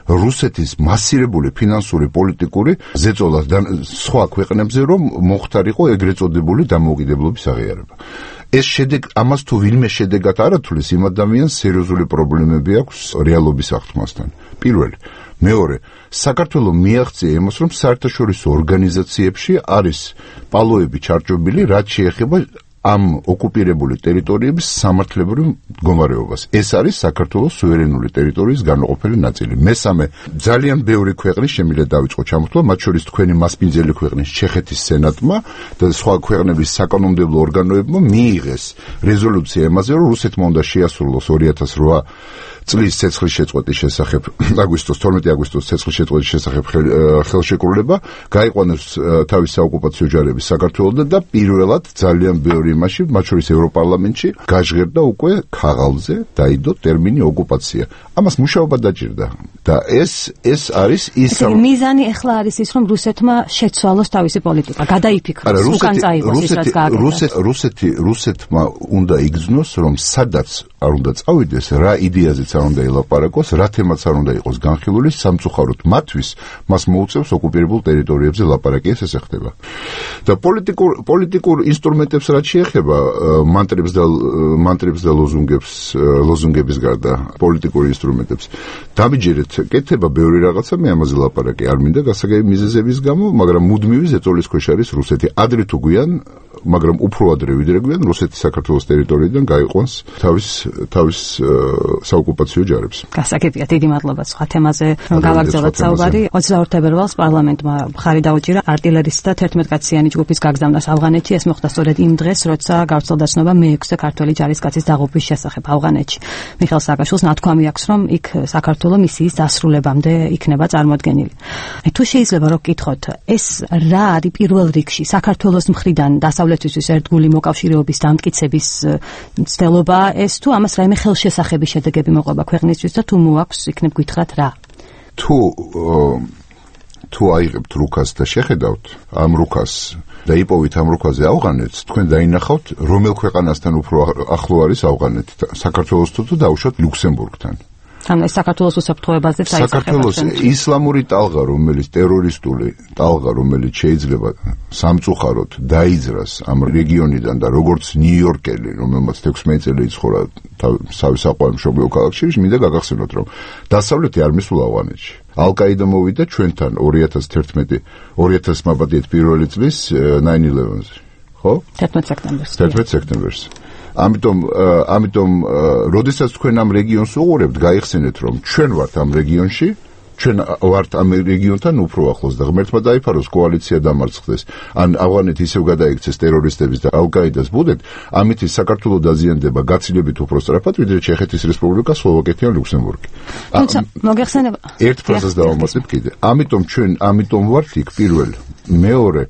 რუსეთის მასირებული ფინანსური პოლიტიკური ზეწოლა სხვა ქვეყნებზე, რომ მოხდარიყო ეგრეთ წოდებული დამოუკიდებლობის აღიარება. ეს შედეგ ამას თუ ვინმე შედეგად არ ათulis, იმ ადამიანს სერიოზული პრობლემები აქვს რეალობის აღთქმასთან. პირველი. მეორე, საქართველოს მიაღწია იმას, რომ საერთაშორისო ორგანიზაციებში არის პალოები ჩარჩობილი, რაც შეეხება ამ ოკუპირებული ტერიტორიების სამართლებრივ მდგომარეობას. ეს არის საქართველოს სუვერენული ტერიტორიის განუყოფელი ნაწილი. მესამე, ძალიან ბევრი ქვეყნის შემიძლია დავიწყო ჩამოთვლა, მათ შორის თქვენი მასპინძელი ქვეყნის ჩეხეთის სენატმა და სხვა ქვეყნების საკანონმდებლო ორგანოებმა მიიღეს რეზოლუცია იმაზე, რომ რუსეთმა უნდა შეასრულოს ორი ათას რვა წლის ცეცხლის შეწყვეტის შესახებ, აგვისტოს თორმეტი აგვისტოს ცეცხლის შეწყვეტის შესახებ ხელშეკრულება, გაიყვანოს თავის საოკუპაციო ჯარები საქართველოსთან და პირველად ძალიან ბევრი იმაში, მათ შორის ევროპარლამენტში, გაჟღერდა უკვე ქაღალდზე დაიდო ტერმინი ოკუპაცია. ამას მუშაობა დაჭირდა და ეს ეს არის ის მიზანი ახლა არის ის, რომ რუსეთმა შეცვალოს თავისი პოლიტიკა, გადაიფიქროს, უკან წაიღოს ის, რაც გააკეთა. რუსეთი რუსეთმა უნდა იგრძნოს, რომ სადაც არ უნდა წავიდეს, რა იდეაზეც არ უნდა ელაპარაკოს, რა თემაც არ უნდა იყოს განხილული, სამწუხაროდ მათთვის მას მოუწევს ოკუპირებულ ტერიტორიებზე ლაპარაკი, ეს ესე ხდება. და პოლიტიკურ პოლიტიკურ ინსტრუმენტებს რაც შეეხება მანტრებს და მანტრებს და ლოზუნგებს, ლოზუნგების გარდა პოლიტიკურ ინსტრუმენტებს. დამიჯერეთ, კეთება ბევრი რაღაცა, მე ამაზე ლაპარაკი არ მინდა გასაგები მიზეზების გამო, მაგრამ მუდმივი ზეწოლის ქვეშ არის რუსეთი. ადრე თუ გვიან, მაგრამ უფრო ადრე ვიდრე გვიან, რუსეთი საქართველოს ტერიტორიიდან გაიყვანს თავის თავის საოკუპაციო ჯარებს. გასაგებია, დიდი მადლობა სხვა თემაზე რომ გავაგრძელოთ საუბარი. ოცდაორ თებერვალს პარლამენტმა მხარი დაუჭირა არტილერისტთა თერთმეტკაციანი ჯგუფის გაგზავნას ავღანეთში. ეს მოხდა სწორედ იმ დღეს, როცა გავრცელდა ცნობა მეექვსე ქართველი ჯარისკაცის დაღუპვის შესახებ ავღანეთში. მიხეილ სააკაშვილს ნათქვამი აქვს, რომ იქ საქართველოს მისიის დასრულებამდე იქნება წარმოდგენილი. თუ შეიძლება რომ გკითხოთ, ეს რა არის პირველ რიგში საქართველოს მხრიდან დასავლეთისთვის ერთგული მოკავშირეობის დამტკიცების ცდელობა ეს თუ ამას რაიმე ხელშესახები შედეგები მოყვება ქვეყნისთვის და თუ მოაქვს იქნებ გითხრათ რა? თუ თუ აიღებთ რუკას და შეხედავთ ამ რუკას და იპოვით ამ რუკაზე ავღანეთს, თქვენ დაინახავთ რომელ ქვეყანასთან უფრო ახლო არის ავღანეთი, საქართველოს თუ დაუშვათ ლუქსემბურგთან. ანუ ეს საქართველოს უსაფრთხოებაზე დაიწყება. საქართველოს ისლამური ტალღა, რომელიც ტერორისტული ტალღა, რომელიც შეიძლება სამწუხაროდ დაიძრას ამ რეგიონიდან და როგორც ნიუ-იორკელი, რომელმაც თექვსმეტი წელი იცხოვრა თავის საყვარელ მშობლიურ ქალაქში, მინდა გაგახსენოთ, რომ დასავლეთი არ მისულა ავღანეთში. ალ-კაიდა მოვიდა ჩვენთან ორი ათას თერთმეტი ორი ათას მაბადიეთ პირველი წლის ნაინ ილევენზე, ხო? თერთმეტი სექტემბერს. თერთმეტი სექტემბერს. ამიტომ ამიტომ როდესაც თქვენ ამ რეგიონს უყურებთ, გაიხსენეთ, რომ ჩვენ ვართ ამ რეგიონში, ჩვენ ვართ ამ რეგიონთან უფრო ახლოს და ღმერთმა დაიფაროს კოალიცია დამარცხდეს, ან ავღანეთი ისევ გადაიქცეს ტერორისტების და ალ-კაიდას ბუდეთ, ამით საქართველოს დაზიანდება გაცილებით უფრო სწრაფად, ვიდრე ჩეხეთის რესპუბლიკა, სლოვაკეთი ან ლუქსემბურგი. თუმცა მოგეხსენება ერთ ფრაზას დავამატებ კიდე. ამიტომ ჩვენ ამიტომ ვართ იქ პირველ, მეორე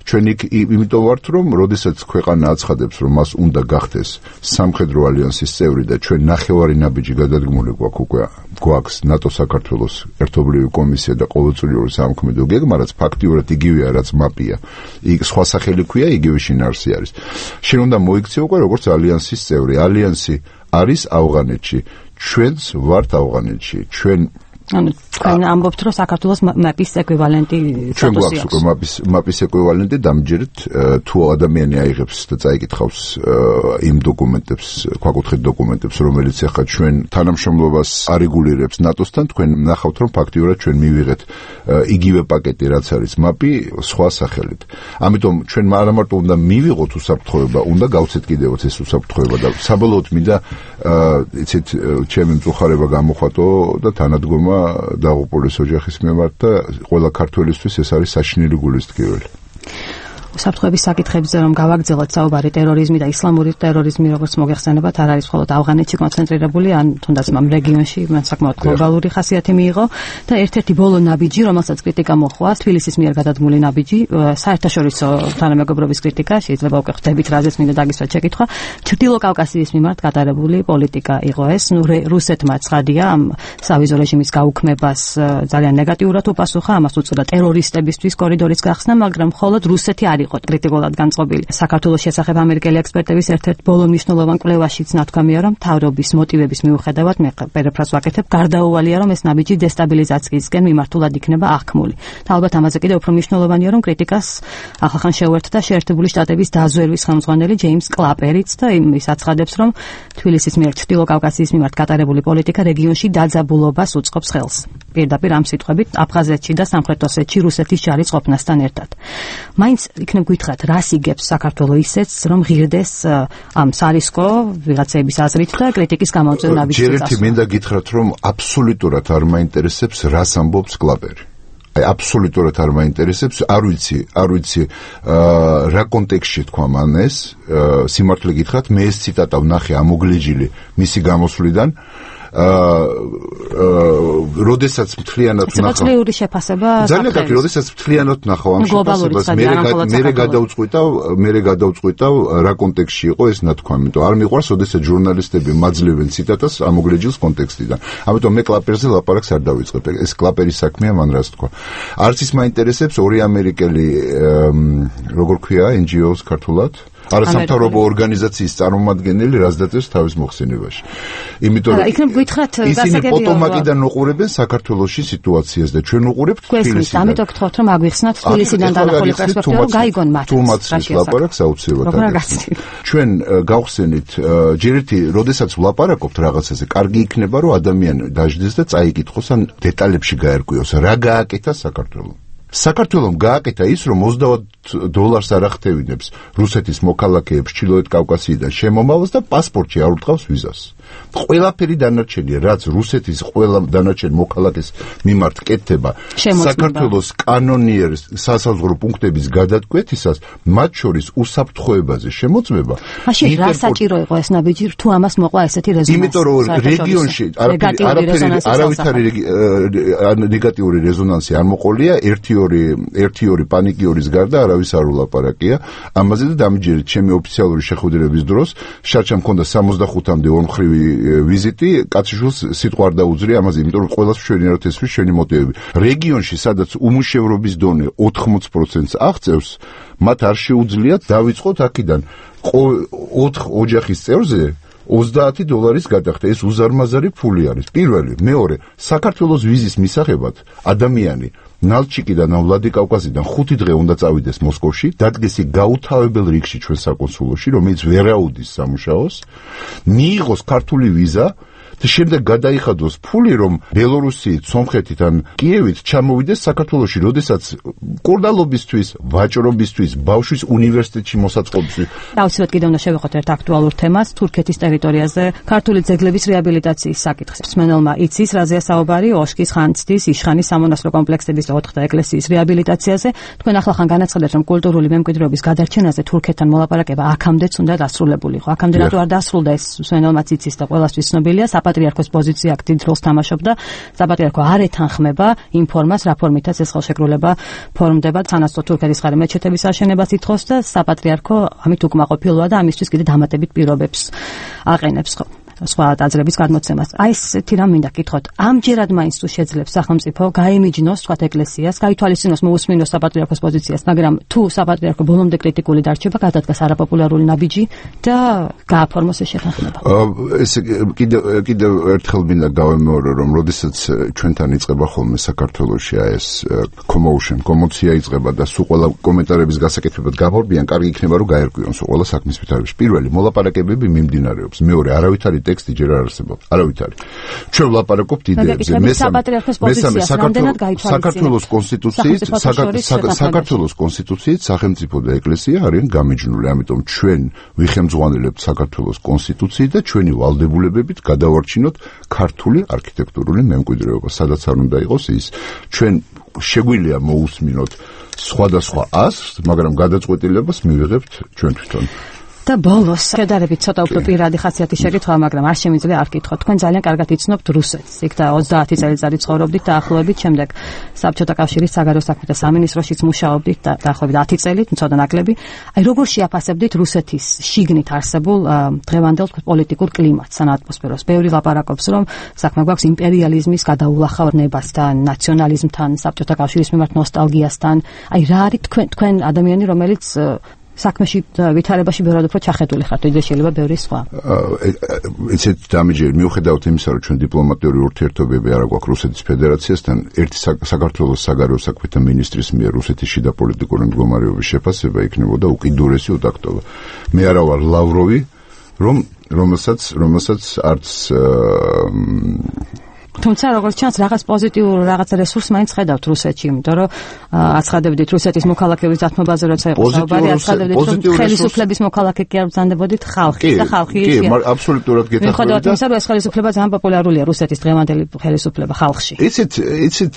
ჩვენ იქ იმიტომ ვართ, რომ როდესაც ქვეყანა აცხადებს, რომ მას უნდა გახდეს სამხედრო ალიანსის წევრი და ჩვენ ნახევარი ნაბიჯი გადადგმული გვაქვს უკვე გვაქვს ნატო საქართველოს ერთობლივი კომისია და ყოველწლიური სამქმედო გეგმა, რაც ფაქტიურად იგივეა, რაც მაპია. იქ სხვა სახელი ქვია, იგივე შინაარსი არის. შენ უნდა მოიქცე უკვე როგორც ალიანსის წევრი. ალიანსი არის ავღანეთში. ჩვენც ვართ ავღანეთში. ჩვენ ანუ თქვენ ამბობთ, რომ საქართველოს მაპის ეკვივალენტი ჩვენ გვაქვს უკვე მაპის მაპის ეკვივალენტი დამჯერეთ თუ ადამიანი აიღებს და წაიკითხავს იმ დოკუმენტებს, ქვაკუთხედ დოკუმენტებს, რომელიც ახლა ჩვენ თანამშრომლობას არეგულირებს ნატოსთან, თქვენ ნახავთ, რომ ფაქტიურად ჩვენ მივიღეთ იგივე პაკეტი, რაც არის მაპი, სხვა სახელით. ამიტომ ჩვენ არა მარტო უნდა მივიღოთ უსაფრთხოება, უნდა გავცეთ კიდევაც ეს უსაფრთხოება და საბოლოოდ მინდა იცით ჩემი მწუხარება გამოხატო და თანადგომა დაღუპულის ოჯახის მიმართ და ყველა ქართველისთვის ეს არის საშინელი გულისტკიველი. უსაფრთხოების საკითხებზე რომ გავაგრძელოთ საუბარი ტერორიზმი და ისლამური ტერორიზმი როგორც მოგეხსენებათ არ არის მხოლოდ ავღანეთში კონცენტრირებული ან თუნდაც ამ რეგიონში მან საკმაოდ გლობალური ხასიათი მიიღო და ერთ-ერთი ბოლო ნაბიჯი რომელსაც კრიტიკა მოჰყვა თბილისის მიერ გადადგმული ნაბიჯი საერთაშორისო თანამეგობრობის კრიტიკა შეიძლება უკვე ხვდებით რაზეც მინდა დაგისვათ შეკითხვა ჩრდილო კავკასიის მიმართ გატარებული პოლიტიკა იყო ეს ნუ რუსეთმა ცხადია ამ სავიზო რეჟიმის გაუქმებას ძალიან ნეგატიურად უპასუხა ამას უწოდა ტერორისტებისთვის კორიდორის გახსნა მაგრამ მხოლოდ რუსეთი არ იყო კრიტიკულად განწყობილი. საქართველოს შესახებ ამერიკელი ექსპერტების ერთ-ერთ ბოლო მნიშვნელოვან კვლევაშიც ნათქვამია, რომ მთავრობის მოტივების მიუხედავად მე პერეფრაზს ვაკეთებ, გარდაუვალია, რომ ეს ნაბიჯი დესტაბილიზაციისკენ მიმართულად იქნება აღქმული. და ალბათ ამაზე კიდევ უფრო მნიშვნელოვანია, რომ კრიტიკას ახალხან შეუერთდა შეერთებული შტატების დაზვერვის ხელმძღვანელი ჯეიმს კლაპერიც და ის აცხადებს, რომ თბილისის მიერ ჩრდილო კავკასიის მიმართ გატარებული პოლიტიკა რეგიონში დაძაბულობას უწყობს ხელს. პირდაპირ ამ სიტყვებით აფხაზეთში და სამხრეთ ოსეთში რუსეთის ჯარის ყოფნასთან ერთად. მაინც იქნებ გითხრათ, რას იგებს საქართველოს ისეც, რომ ღირდეს ამ სარისკო ვიღაცების აზრით და კრიტიკის გამომწვევ ნაბიჯს. ჯერ ერთი მინდა გითხრათ, რომ აბსოლუტურად არ მაინტერესებს, რას ამბობს კლაპერი. აი აბსოლუტურად არ მაინტერესებს, არ ვიცი, არ ვიცი რა კონტექსტში თქვა მან ეს, სიმართლე გითხრათ, მე ეს ციტატა ვნახე ამოგლეჯილი მისი გამოსვლიდან. როდესაც მთლიანად ვნახავ წლიური შეფასება ძალიან კარგი როდესაც მთლიანად ვნახავ ამ შეფასებას მე მე გადაუწყვიტავ მე გადაუწყვიტავ რა კონტექსტში იყო ეს ნათქვამი იმიტომ არ მიყვარს როდესაც ჟურნალისტები მაძლევენ ციტატას ამოგლეჯილს კონტექსტიდან ამიტომ მე კლაპერზე ლაპარაკს არ დავიწყებ ეს კლაპერის საქმეა მან რას თქვა არც ის მაინტერესებს ორი ამერიკელი როგორ ქვია ენ ჯი ოუს ქართულად არასამთავრობო ორგანიზაციის წარმომადგენელი რას დაწერს თავის მოხსენებაში. იმიტომ რომ იქნებ გითხრათ ისინი პოტომაკიდან უყურებენ საქართველოში სიტუაციას და ჩვენ უყურებთ თბილისიდან. ამიტომ გთხოვთ რომ აგვიხსნათ თბილისიდან დანახული პერსპექტივა რომ გაიგონ მათ. თუმაცის ლაპარაკს აუცილებლად. ჩვენ გავხსენით ჯერ ერთი როდესაც ვლაპარაკობთ რაღაცაზე, კარგი იქნება რომ ადამიანი დაждდეს და წაიკითხოს ან დეტალებში გაერკვიოს რა გააკეთა საქართველოს. საქართველოს გააკეთა ის, რომ ოცდაოთხ დოლარს არ ახდევინებს რუსეთის მოქალაქეებს ჩრდილოეთ კავკასიიდან შემომავალს და პასპორტში არ უტყავს ვიზას. ყველაფერი დანარჩენია, რაც რუსეთის ყველა დანარჩენ მოქალაქეს მიმართ კეთდება საქართველოს კანონიერ სასაზღვრო პუნქტების გადატკვეთისას, მათ შორის უსაფრთხოებაზე შემოწმება. მაშინ რა საჭირო იყო ეს ნაბიჯი, თუ ამას მოყვა ესეთი რეზონანსი? იმიტომ რომ რეგიონში არავითარი ნეგატიური რეზონანსი არ მოყოლია, ერთი ორი ერთი ორი პანიკიორის გარდა არავის არ ულაპარაკია. ამაზე და დამჯერეთ ჩემი ოფიციალური შეხვედრების დროს შარჩა მქონდა სამოცდახუთამდე ორმხრივი ვიზიტი, კაციშვილს სიტყვა არ დაუძრია ამაზე, იმიტომ რომ ყველას მშვენიერად ესვის შენი მოტივები. რეგიონში, სადაც უმუშევრობის დონე ოთხმოცი პროცენტს აღწევს, მათ არ შეუძლიათ დავიწყოთ აქედან ოთხ ოჯახის წევრზე ოცდაათი დოლარის გადახდა. ეს უზარმაზარი ფული არის. პირველი, მეორე, საქართველოს ვიზის მისაღებად ადამიანი ნალჩიკიდან ან ვლადიკავკაზიდან ხუთი დღე უნდა წავიდეს მოსკოვში, დადგეს გაუთავებელ რიგში ჩვენ საკონსულოში, რომელიც ვერ აუდის სამუშაოს, მიიღოს ქართული ვიზა და შემდეგ გადაიხადოს ფული, რომ ბელორუსიით, სომხეთით ან კიევით ჩამოვიდეს საქართველოში, როდესაც კურდალობისთვის, ვაჭრობისთვის, ბავშვის უნივერსიტეტში მოსაწყობისთვის. დავუცილებლად კიდევ უნდა შევეხოთ ერთ აქტუალურ თემას, თურქეთის ტერიტორიაზე ქართული ძეგლების რეაბილიტაციის საკითხს. მსმენელმა იცის, რაზეა საუბარი, ოშკის, ხანცდის, იშხანის სამონასტრო კომპლექსების და ოთხთა ეკლესიის რეაბილიტაციაზე. თქვენ ახალხან განაცხადეთ, რომ კულტურული მემკვიდრეობის გადარჩენაზე თურქეთთან მოლაპარაკება აქამდეც უნდა დასრულებულიყო. აქამდე რატო არ დასრულდა ეს მსმენელმაც იცის და ყველასთვის ცნობილია. საპატრიარქოს პოზიცია აქტივ როლს თამაშობდა. საპატრიარქო არ ეთანხმება იმ ფორმას, რა ფორმითაც ეს ხელშეკრულება ფორმდება. სანაცვლოდ თურქეთის მხარე მეჩეთების აშენებას ითხოვს და საპატრიარქო ამით უკმაყოფილოა და ამისთვის კიდე დამატებით პირობებს აყენებს. ხო. სხვა ტაძრების გადმოცემას. აი ესეთი რამ მინდა გითხოთ. ამჯერად მაინც თუ შეძლებს სახელმწიფო გაემიჯნოს სხვა ეკლესიას, გაითვალისწინოს მოусმინოს საპატრიარქოს პოზიციას, მაგრამ თუ საპატრიარქო ბოლომდე კრიტიკული დარჩება, გადადგას არაპოპულარული ნაბიჯი და გააფორმოს ეს შეთანხმება. ეს კიდევ კიდევ ერთხელ მინდა გავემეორო, რომ როდესაც ჩვენთან იწყება ხოლმე საქართველოში ეს commotion, კომოცია იწყება და სულ ყველა კომენტარების გასაკეთებად გამორბიან, კარგი იქნება რომ გაერკვიონ სულ ყველა საქმის ვითარებაში. პირველი მოლაპარაკებები მიმდინარეობს. მეორე არავითარი ტექსტი ჯერ არ არსებობს. არავითარი. ჩვენ ვლაპარაკობთ იდეებზე. მესამე საქართველოს კონსტიტუციით, საქართველოს კონსტიტუციით სახელმწიფო და ეკლესია არიან გამიჯნული, ამიტომ ჩვენ ვიხემძღვანელებთ საქართველოს კონსტიტუციით და ჩვენი ვალდებულებებით გადავარჩინოთ ქართული არქიტექტურული მემკვიდრეობა, სადაც არ უნდა იყოს ის. ჩვენ შეგვიძლია მოусმინოთ სხვადასხვა აზრს, მაგრამ გადაწყვეტილებას მივიღებთ ჩვენ თვითონ. და ბოლოს შედარებით ცოტა უფრო პირადი ხასიათის შეკითხვა, მაგრამ არ შემიძლია არ გითხოთ. თქვენ ძალიან კარგად იცნობთ რუსეთს. იქ და ოცდაათი წელიწადი ცხოვრობდით და ახლობებით, შემდეგ საბჭოთა კავშირის საგარეო საქმეთა სამინისტროშიც მუშაობდით და დაახლოებით ათი წელი, ცოტა ნაკლები. აი როგორ შეაფასებდით რუსეთის შიგნით არსებულ დღევანდელ პოლიტიკურ კლიმატს, ან ატმოსფეროს? ბევრი ლაპარაკობს, რომ საქმე გვაქვს იმპერიალიზმის გადაულახავრნებასთან, ნაციონალიზმთან, საბჭოთა კავშირის მიმართ ნოსტალგიასთან. აი რა არის თქვენ თქვენ ადამიანი, რომელიც საქმეში ვითარებაში ბევრად უფრო ჩახედული ხართ, ვიდრე შეიძლება ბევრი სხვა. ესეთ დამიჯერე მიუხედავად იმისა, რომ ჩვენ დიპლომატიური ურთიერთობები არ აქვს რუსეთის ფედერაციასთან, ერთი საქართველოს საგარეო საქმეთა მინისტრის მიერ რუსეთის შიდა პოლიტიკური მდგომარეობის შეფასება იქნებოდა უკიდურესი უდაქტობა. მე არა ვარ ლავროვი, რომ რომელსაც რომელსაც არც თუმცა როგორც ჩანს რაღაც პოზიტიურ რაღაც რესურსს მაინც ხედავთ რუსეთში, იმიტომ რომ აცხადებდით რუსეთის მოქალაქეების დათმობაზე, როცა იყო საუბარი, აცხადებდით რომ ხელისუფლების მოქალაქე კი არ ბრძანდებოდით ხალხი და ხალხი კი, კი, აბსოლუტურად გეთახმებით. მიუხედავად იმისა, რომ ეს ხელისუფლება ძალიან პოპულარულია რუსეთის დღევანდელი ხელისუფლება ხალხში. იცით, იცით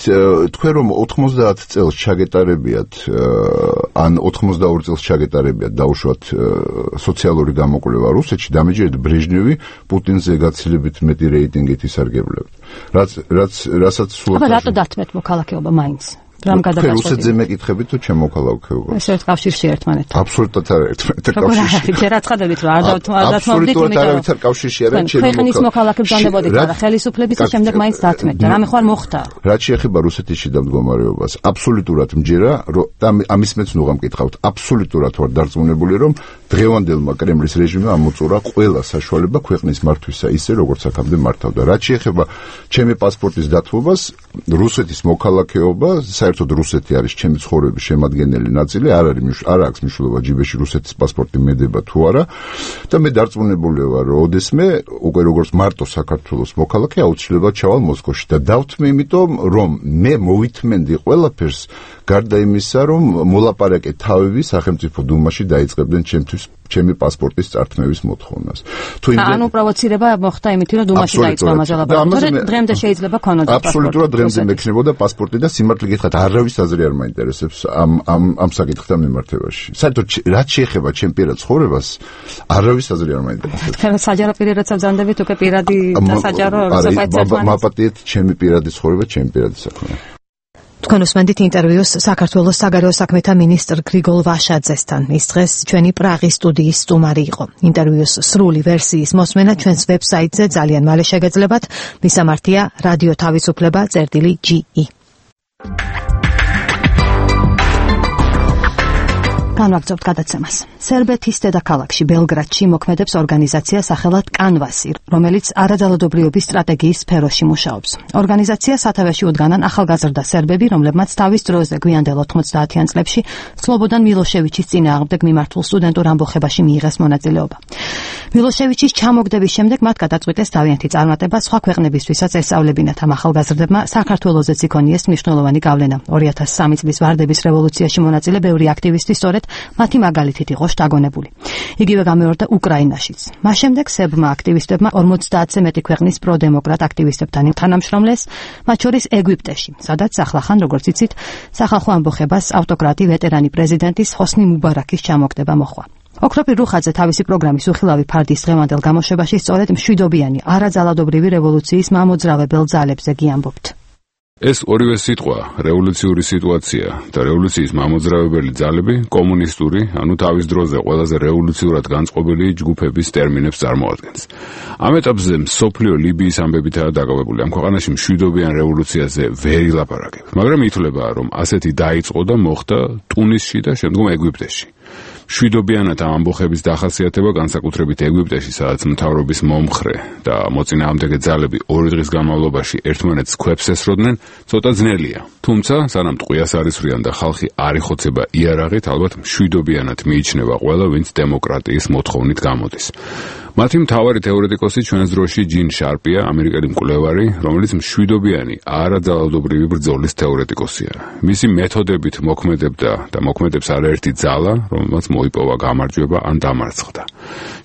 თქვენ რომ ოცდაათ წელს ჩაგეტარებიათ ან ოცდაორი წელს ჩაგეტარებიათ დაუშვათ სოციალური გამოკვლევა რუსეთში, დამიჯერეთ ბრეჟნევი პუტინზე გაცილებით მეტი რეიტინგით ისარგებლებთ. რაც რაც რასაც სულ აბა რატო დათმეთ მოქალაქეობა მაინც? რამ გადაგაწყვეტილ? რუსეთზე მეკითხებით თუ ჩემ მოქალაქეობას? ეს ერთ კავშირში ერთმანეთთან. აბსოლუტურად არ ერთმანეთთან კავშირში. როგორ არის? აცხადებით რომ არ დათმობდით, იმიტომ რომ არავითარ კავშირში არ არის ჩემი მოქალაქე. ქვეყნის მოქალაქე ბრძანდებოდით, არა ხელისუფლების და შემდეგ მაინც დათმეთ. და რამე ხარ მოხდა? რაც შეეხება რუსეთის შიდა მდგომარეობას, აბსოლუტურად მჯერა და ამის მეც ნუ გამკითხავთ, აბსოლუტურად ვარ დარწმუნებული რომ დღევანდელმა კრემლის რეჟიმმა ამოწურა ყველა საშუალება ქვეყნის მართვისა ისე როგორც აქამდე მართავდა. რაც შეეხება ჩემი პასპორტის დათმობას, რუსეთის მოქალაქეობა საერთოდ რუსეთი არის ჩემი ცხოვრების შემადგენელი ნაწილი, არ არის არ აქვს მნიშვნელობა ჯიბეში რუსეთის პასპორტი მედება თუ არა და მე დარწმუნებული ვარ, რომ ოდესმე უკვე როგორც მარტო საქართველოს მოქალაქე აუცილებლად ჩავალ მოსკოვში და დავთმე, იმიტომ რომ მე მოვითმენდი ყველაფერს გარდა იმისა, რომ მოლაპარაკე თავები სახელმწიფო დუმაში დაიწყებდნენ ჩემთვის ჩემი პასპორტის წართმევის მოთხოვნას. თუ იმდენ ანუ პროვოცირება მოხდა იმით, რომ დუმაში დაიწყო ამაზე ლაპარაკი. დღემდე შეიძლება ქონოდა პასპორტი. აბსოლუტურად დღემდე მექნებოდა პასპორტი და სიმართლე გითხრათ, არავის აზრი არ მაინტერესებს ამ ამ ამ საკითხთან მიმართებაში. საერთოდ რაც შეეხება ჩემ პირად ცხოვრებას, არავის აზრი არ მაინტერესებს. თქვენ საჯარო პირადაც ბრძანდებით, უკვე პირადი და საჯარო საერთოდ მაპატიეთ ჩემი პირადი ცხოვრება, ჩემი პირადი საქმე. თქვენ უსმენთ ინტერვიუს საქართველოს საგარეო საქმეთა მინისტრ გრიგოლ ვაშაძესთან. ის დღეს ჩვენი პრაღის სტუდიის სტუმარი იყო. ინტერვიუს სრული ვერსიის მოსმენა ჩვენს ვებსაიტზე ძალიან მალე შეგეძლებათ. მისამართია რადიო თავისუფლება წერტილი ჯი ი. განვაგრძობთ გადაცემას. სერბეთის დედაქალაქში ბელგრადში მოქმედებს ორგანიზაცია სახელად კანვასი, რომელიც არაძალადობრიობის სტრატეგიის სფეროში მუშაობს. ორგანიზაცია სათავეში უდგანან ახალგაზრდა სერბები, რომლებმაც თავის დროზე გვიანდელ ოთხმოცდაათიან წლებში სლობოდან მილოშევიჩის წინააღმდეგ მიმართულ სტუდენტურ ამბოხებაში მიიღეს მონაწილეობა. მილოშევიჩის ჩამოგდების შემდეგ მათ გადაწყვიტეს თავიანთი წარმატება სხვა ქვეყნებისთვისაც ესწავლებინათ. ამ ახალგაზრდებმა საქართველოზეც იქონიეს მნიშვნელოვანი გავლენა. ორი ათას სამი წლის ვარდების რევოლუციაში მონაწილე ბევრი აქტივისტი სწორედ მათი მაგალითით იყო შთაგონებული. იგივე გამეორდა უკრაინაშიც. მას შემდეგ სერბმა აქტივისტებმა ორმოცდაათზე მეტი ქვეყნის პროდემოკრატ აქტივისტებთან თანამშრომლეს, მათ შორის ეგვიპტეში, სადაც ახლახან, როგორც იცით, სახალხო ამბოხებას ავტოკრატი ვეტერანი პრეზიდენტის ჰოსნი მუბარაკის ჩამოგდება მოჰყვა. ოქროპირ რუხაძე თავისი პროგრამის უხილავი ფარდის დღევანდელ გამოშვებაში სწორედ მშვიდობიანი არაძალადობრივი რევოლუციის მამოძრავებელ ძალებზე გიამბობთ. ეს ორივე სიტყვა, რევოლუციური სიტუაცია და რევოლუციის მამოძრავებელი ძალები კომუნისტური, ანუ თავის დროზე ყველაზე რევოლუციურად განწყობილი ჯგუფების ტერმინებს წარმოადგენს. ამ ეტაპზე მსოფლიო ლიბიის ამბებითაა დაკავებული. ამ ქვეყანაში მშვიდობიან რევოლუციაზე ვერ ილაპარაკებ, მაგრამ ითვლება, რომ ასეთი დაიწყო და მოხდა ტუნისში და შემდგომ ეგვიპტეში. მშვიდობიანად ამ ამბოხების დახასიათება განსაკუთრებით ეგვიპტეში, სადაც მთავრობის მომხრე და მოწინააღმდეგე ძალები ორი დღის განმავლობაში ერთმანეთს ქვებს ესროდნენ, ცოტა ძნელია. თუმცა, სანამ ტყვიას არისვრიან და ხალხი არ იხოცება იარაღით, ალბათ მშვიდობიანად მიიჩნევა ყველა, ვინც დემოკრატიის მოთხოვნით გამოდის. მათი მთავარი თეორეტიკოსი ჩვენს დროში ჯინ შარპია, ამერიკელი მკვლევარი, რომელიც მშვიდობიანი არაძალადობრივი ბრძოლის თეორეტიკოსია. მისი მეთოდებით მოქმედებდა და მოქმედებს არაერთი ძალა, რომელმაც მოიპოვა გამარჯვება ან დამარცხდა.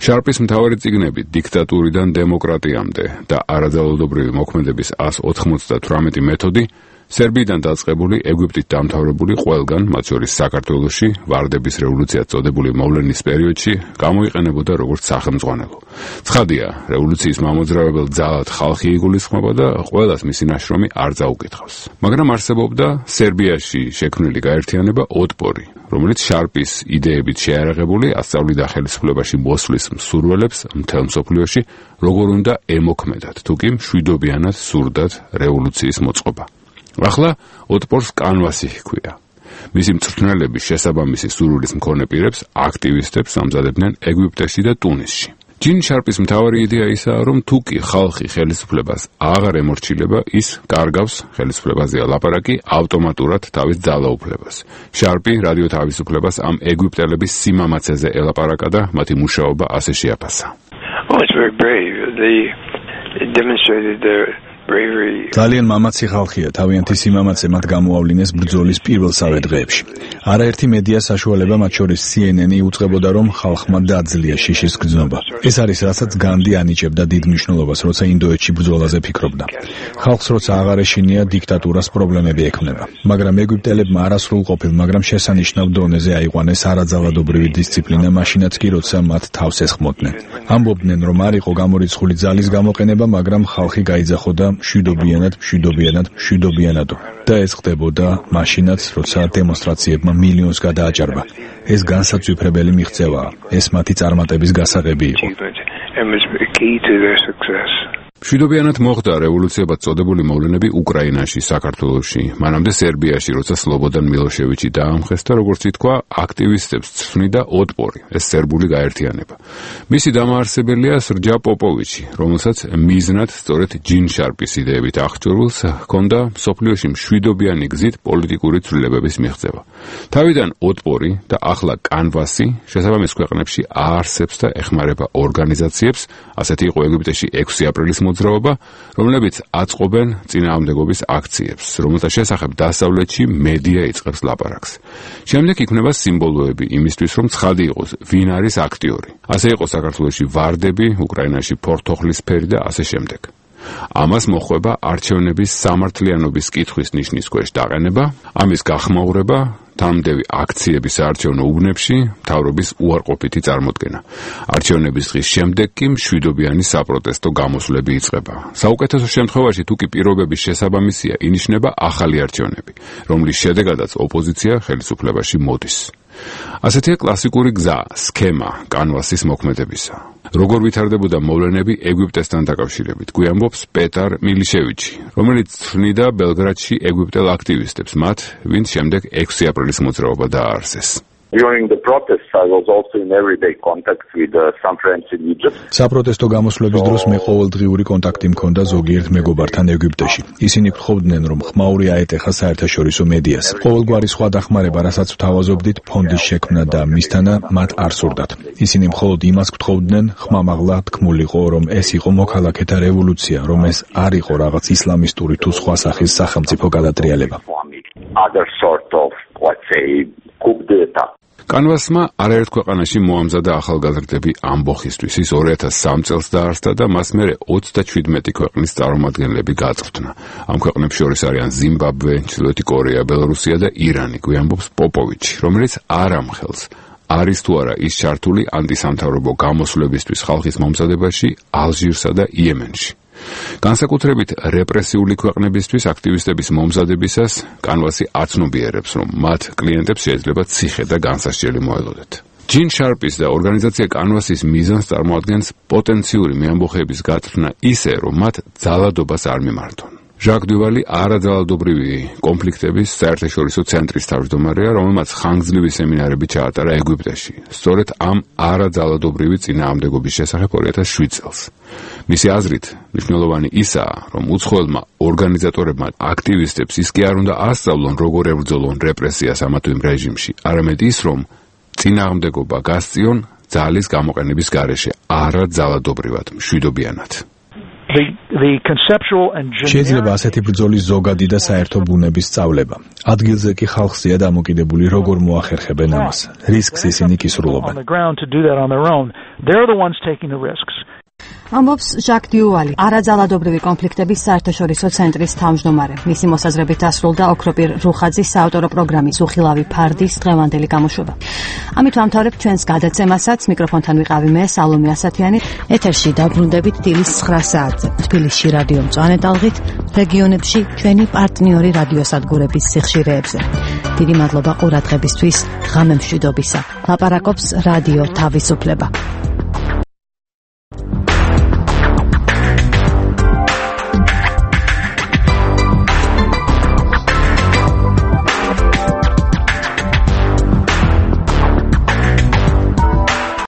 შარპის მთავარი წიგნები დიქტატურიდან დემოკრატიამდე და არაძალადობრივი მოქმედების ას ოთხმოცდათვრამეტი მეთოდი სერბიიდან დაწყებული ეგვიპტით დამთავრებული ყველგან, მათ შორის საქართველოში, ვარდების რევოლუციად წოდებული მოვლენის პერიოდში გამოიყენებოდა როგორც სახელმძღვანელო. ცხადია, რევოლუციის მამოძრავებელ ძალად ხალხი იგულისხმება და ყველას მისი ნაშრომი არ წაუკითხავს. მაგრამ არსებობდა სერბიაში შექმნილი გაერთიანება ოტპორი, რომელიც შარპის იდეებით შეარაღებული ასწავლიდა ხელისუფლებაში მოსვლის მსურველებს მთელ მსოფლიოში, როგორ უნდა ემოქმედათ, თუკი მშვიდობიანად სურდათ რევოლუციის მოწყობა. ახლა ოტპორს კანვასი ჰქვია. მისი მწვრთნელების შესაბამისი სურვილის მქონე პირებს, აქტივისტებს ამზადებდნენ ეგვიპტეში და ტუნისში. ჯინ შარპის მთავარი იდეა ისაა, რომ თუკი ხალხი ხელისუფლებას აღარ ემორჩილება, ის კარგავს ხელისუფლებაზეა ლაპარაკი ავტომატურად თავის ძალაუფლებას. შარპი რადიო თავისუფლებას ამ ეგვიპტელების სიმამაცეზე ელაპარაკა და მათი მუშაობა ასე შეაფასა. Oh, it's very brave. They demonstrated their ძალიან მამაცი ხალხია, თავიანთი სიმამაცე მათ გამოავლინეს ბრძოლის პირველსავე დღეებში. არაერთი მედია საშუალება, მათ შორის C N N-ი უწყებოდა, რომ ხალხმა დაძლია შიშის გრძნობა. ეს არის, რასაც განდი ანიჭებდა დიდ მნიშვნელობას, როცა ინდოეთში ბრძოლაზე ფიქრობდა. ხალხს როცა აღარ ეშინია, დიქტატურას პრობლემები ექმნება. მაგრამ ეგვიპტელებმა არასრულყოფილ, მაგრამ შესანიშნავ დონეზე აიყვანეს არაძალადობრივი დისციპლინა, მაშინაც კი, როცა მათ თავს ესხმოდნენ. ამბობდნენ, რომ არ იყო გამორიცხული ძალის გამოყენება, მაგრამ ხალხი გაიძახოდა მშვიდობიანად, მშვიდობიანად, მშვიდობიანადო. და ეს ხდებოდა მაშინაც, როცა დემონსტრაციებმა მილიონს გადააჭარბა. ეს განსაცვიფრებელი მიღწევაა. ეს მათი წარმატების გასაღები იყო. მშვიდობიანად მოხდა რევოლუციებად წოდებული მოვლენები უკრაინაში, საქართველოში, მანამდე სერბიაში, როცა სლობოდან მილოშევიჩი დაამხეს და როგორც ითქვა, აქტივისტებს ცვნიდა ოტპორი, ეს სერბული გაერთიანება. მისი დამაარსებელია სრჯა პოპოვიჩი, რომელსაც მიზნად სწორედ ჯინ შარპის იდეებით აღჭურვილს ჰქონდა მსოფლიოში მშვიდობიანი გზით პოლიტიკური ცვლილებების მიღწევა. თავიდან ოტპორი და ახლა კანვასი შესაბამის ქვეყნებში აარსებს და ეხმარება ორგანიზაციებს, ასეთი იყო ეგვიპტეში ექვსი აპრილის მოძრაობა, რომლებიც აწყობენ წინააღმდეგობის აქციებს, რომელთა შესახებ დასავლეთში მედია იწყებს ლაპარაკს. შემდეგ იქმნება სიმბოლოები იმისთვის, რომ ცხადი იყოს, ვინ არის აქტიორი. ასე იყო საქართველოში ვარდები, უკრაინაში ფორთოხლისფერი და ასე შემდეგ. ამას მოხვება არჩევნების სამართლიანობის კითხვის ნიშნის ქვეშ დაყენება, ამის გახმაურება, თამდევი აქციების საარჩევნო უბნებში, მთავრობის უარყოფითი წარმოდგენა. არჩევნების დღის შემდეგ კი მშვიდობიანი საპროტესტო გამოსვლები იწყება. საუკეთესო შემთხვევაში, თუკი პირობების შესაბამისია, ინიშნება ახალი არჩევნები, რომლის შედეგადაც ოპოზიცია ხელისუფლებაში მოდის. ასეთია კლასიკური გზა, სქემა კანვასის მოქმედებისა. როგორ ვითარდებოდა მოვლენები ეგვიპტესთან დაკავშირებით, გვიამბობს პეტარ მილიშევიჩი, რომელიც ცვნიდა ბელგრადში ეგვიპტელ აქტივისტებს, მათ, ვინც შემდეგ ექვსი აპრილის მოძრაობა დააარსეს. During the protests, I was also in everyday contact with uh, some friends in Egypt. საპროტესტო გამოსვლების დროს მე ყოველდღიური კონტაქტი მქონდა ზოგიერთ მეგობართან ეგვიპტეში. ისინი გთხოვდნენ, რომ ხმაური აეტეხა საერთაშორისო მედიას. ყოველგვარი სხვა დახმარება, რასაც ვთავაზობდით, ფონდის შექმნა და მისთანა მათ არ სურდათ. ისინი მხოლოდ იმას გთხოვდნენ, ხმამაღლა თქმულიყო, რომ ეს იყო მოქალაქეთა რევოლუცია, რომ ეს არ იყო რაღაც ისლამისტური თუ სხვა სახის სახელმწიფო გადატრიალება. Other sort of, let's say, coup d'etat. კანვასმა არაერთ ქვეყანაში მოამზადა ახალგაზრდები ამბოხისთვის. ის ორი ათას სამი წელს დაარსდა და მას მერე ოცდაშვიდმეტი ქვეყნის წარმომადგენლები გაწვრთნა. ამ ქვეყნებს შორის არიან ზიმბაბვე, ჩრდილოეთი კორეა, ბელორუსია და ირანი, გვიამბობს პოპოვიჩი, რომელიც არ ამხელს. არის თუ არა ის ჩართული ანტისამთავრობო გამოსვლებისთვის ხალხის მომზადებაში ალჟირსა და იემენში. განსაკუთრებით რეპრესიული ქვეყნებისთვის აქტივისტების მომზადებისას კანვასი აცნობიერებს, რომ მათ კლიენტებს შეიძლება ციხე და განსასჯელი მოელოდეთ. ჯინ შარპის და ორგანიზაცია კანვასის მიზანს წარმოადგენს პოტენციური მეამბოხეების გათხრა ისე, რომ მათ ძალადობას არ მიმართონ. ჟაკ დუვალი არაძალადობრივი კონფლიქტების საერთაშორისო ცენტრის თავმჯდომარეა, რომელმაც ხანგრძლივი სემინარები ჩაატარა ეგვიპტეში, სწორედ ამ არაძალადობრივი წინააღმდეგობის შესახებ ორი ათას შვიდ წელს. მისი აზრით, მნიშვნელოვანი ისაა, რომ უცხოელმა ორგანიზატორებმა აქტივისტებს ის კი არ უნდა ასწავლონ, როგორ ებრძოლონ რეპრესიას ამა თუ იმ რეჟიმში, არამედ ის, რომ წინააღმდეგობა გასწიონ ძალის გამოყენების გარეშე, არაძალადობრივად, მშვიდობიანად. შეიძლება ასეთი ბრძოლის ზოგადი და საერთო ბუნების სწავლება. ადგილზე კი ხალხზეა დამოკიდებული, როგორ მოახერხებენ ამას. რისკს ისინი კისრულობენ. ამბობს ჟაკ დიუვალი, არაძალადობრივი კონფლიქტების საერთაშორისო ცენტრის თავმჯდომარე. მისი მოსაზრებით დასრულდა ოქროპირ რუხაძის საავტორო პროგრამის უხილავი ფარდის დღევანდელი გამოშვება. ამით ვამთავრებთ ჩვენს გადაცემასაც. მიკროფონთან ვიყავი მე, სალომე ასათიანი. ეთერში დაბრუნდებით დილის ცხრა საათზე. თბილისში რადიო მწვანე ტალღით, რეგიონებში ჩვენი პარტნიორი რადიოსადგურების სიხშირეებზე. დიდი მადლობა ყურადღებისთვის, ღამე მშვიდობისა. ლაპარაკობს რადიო თავისუფლება.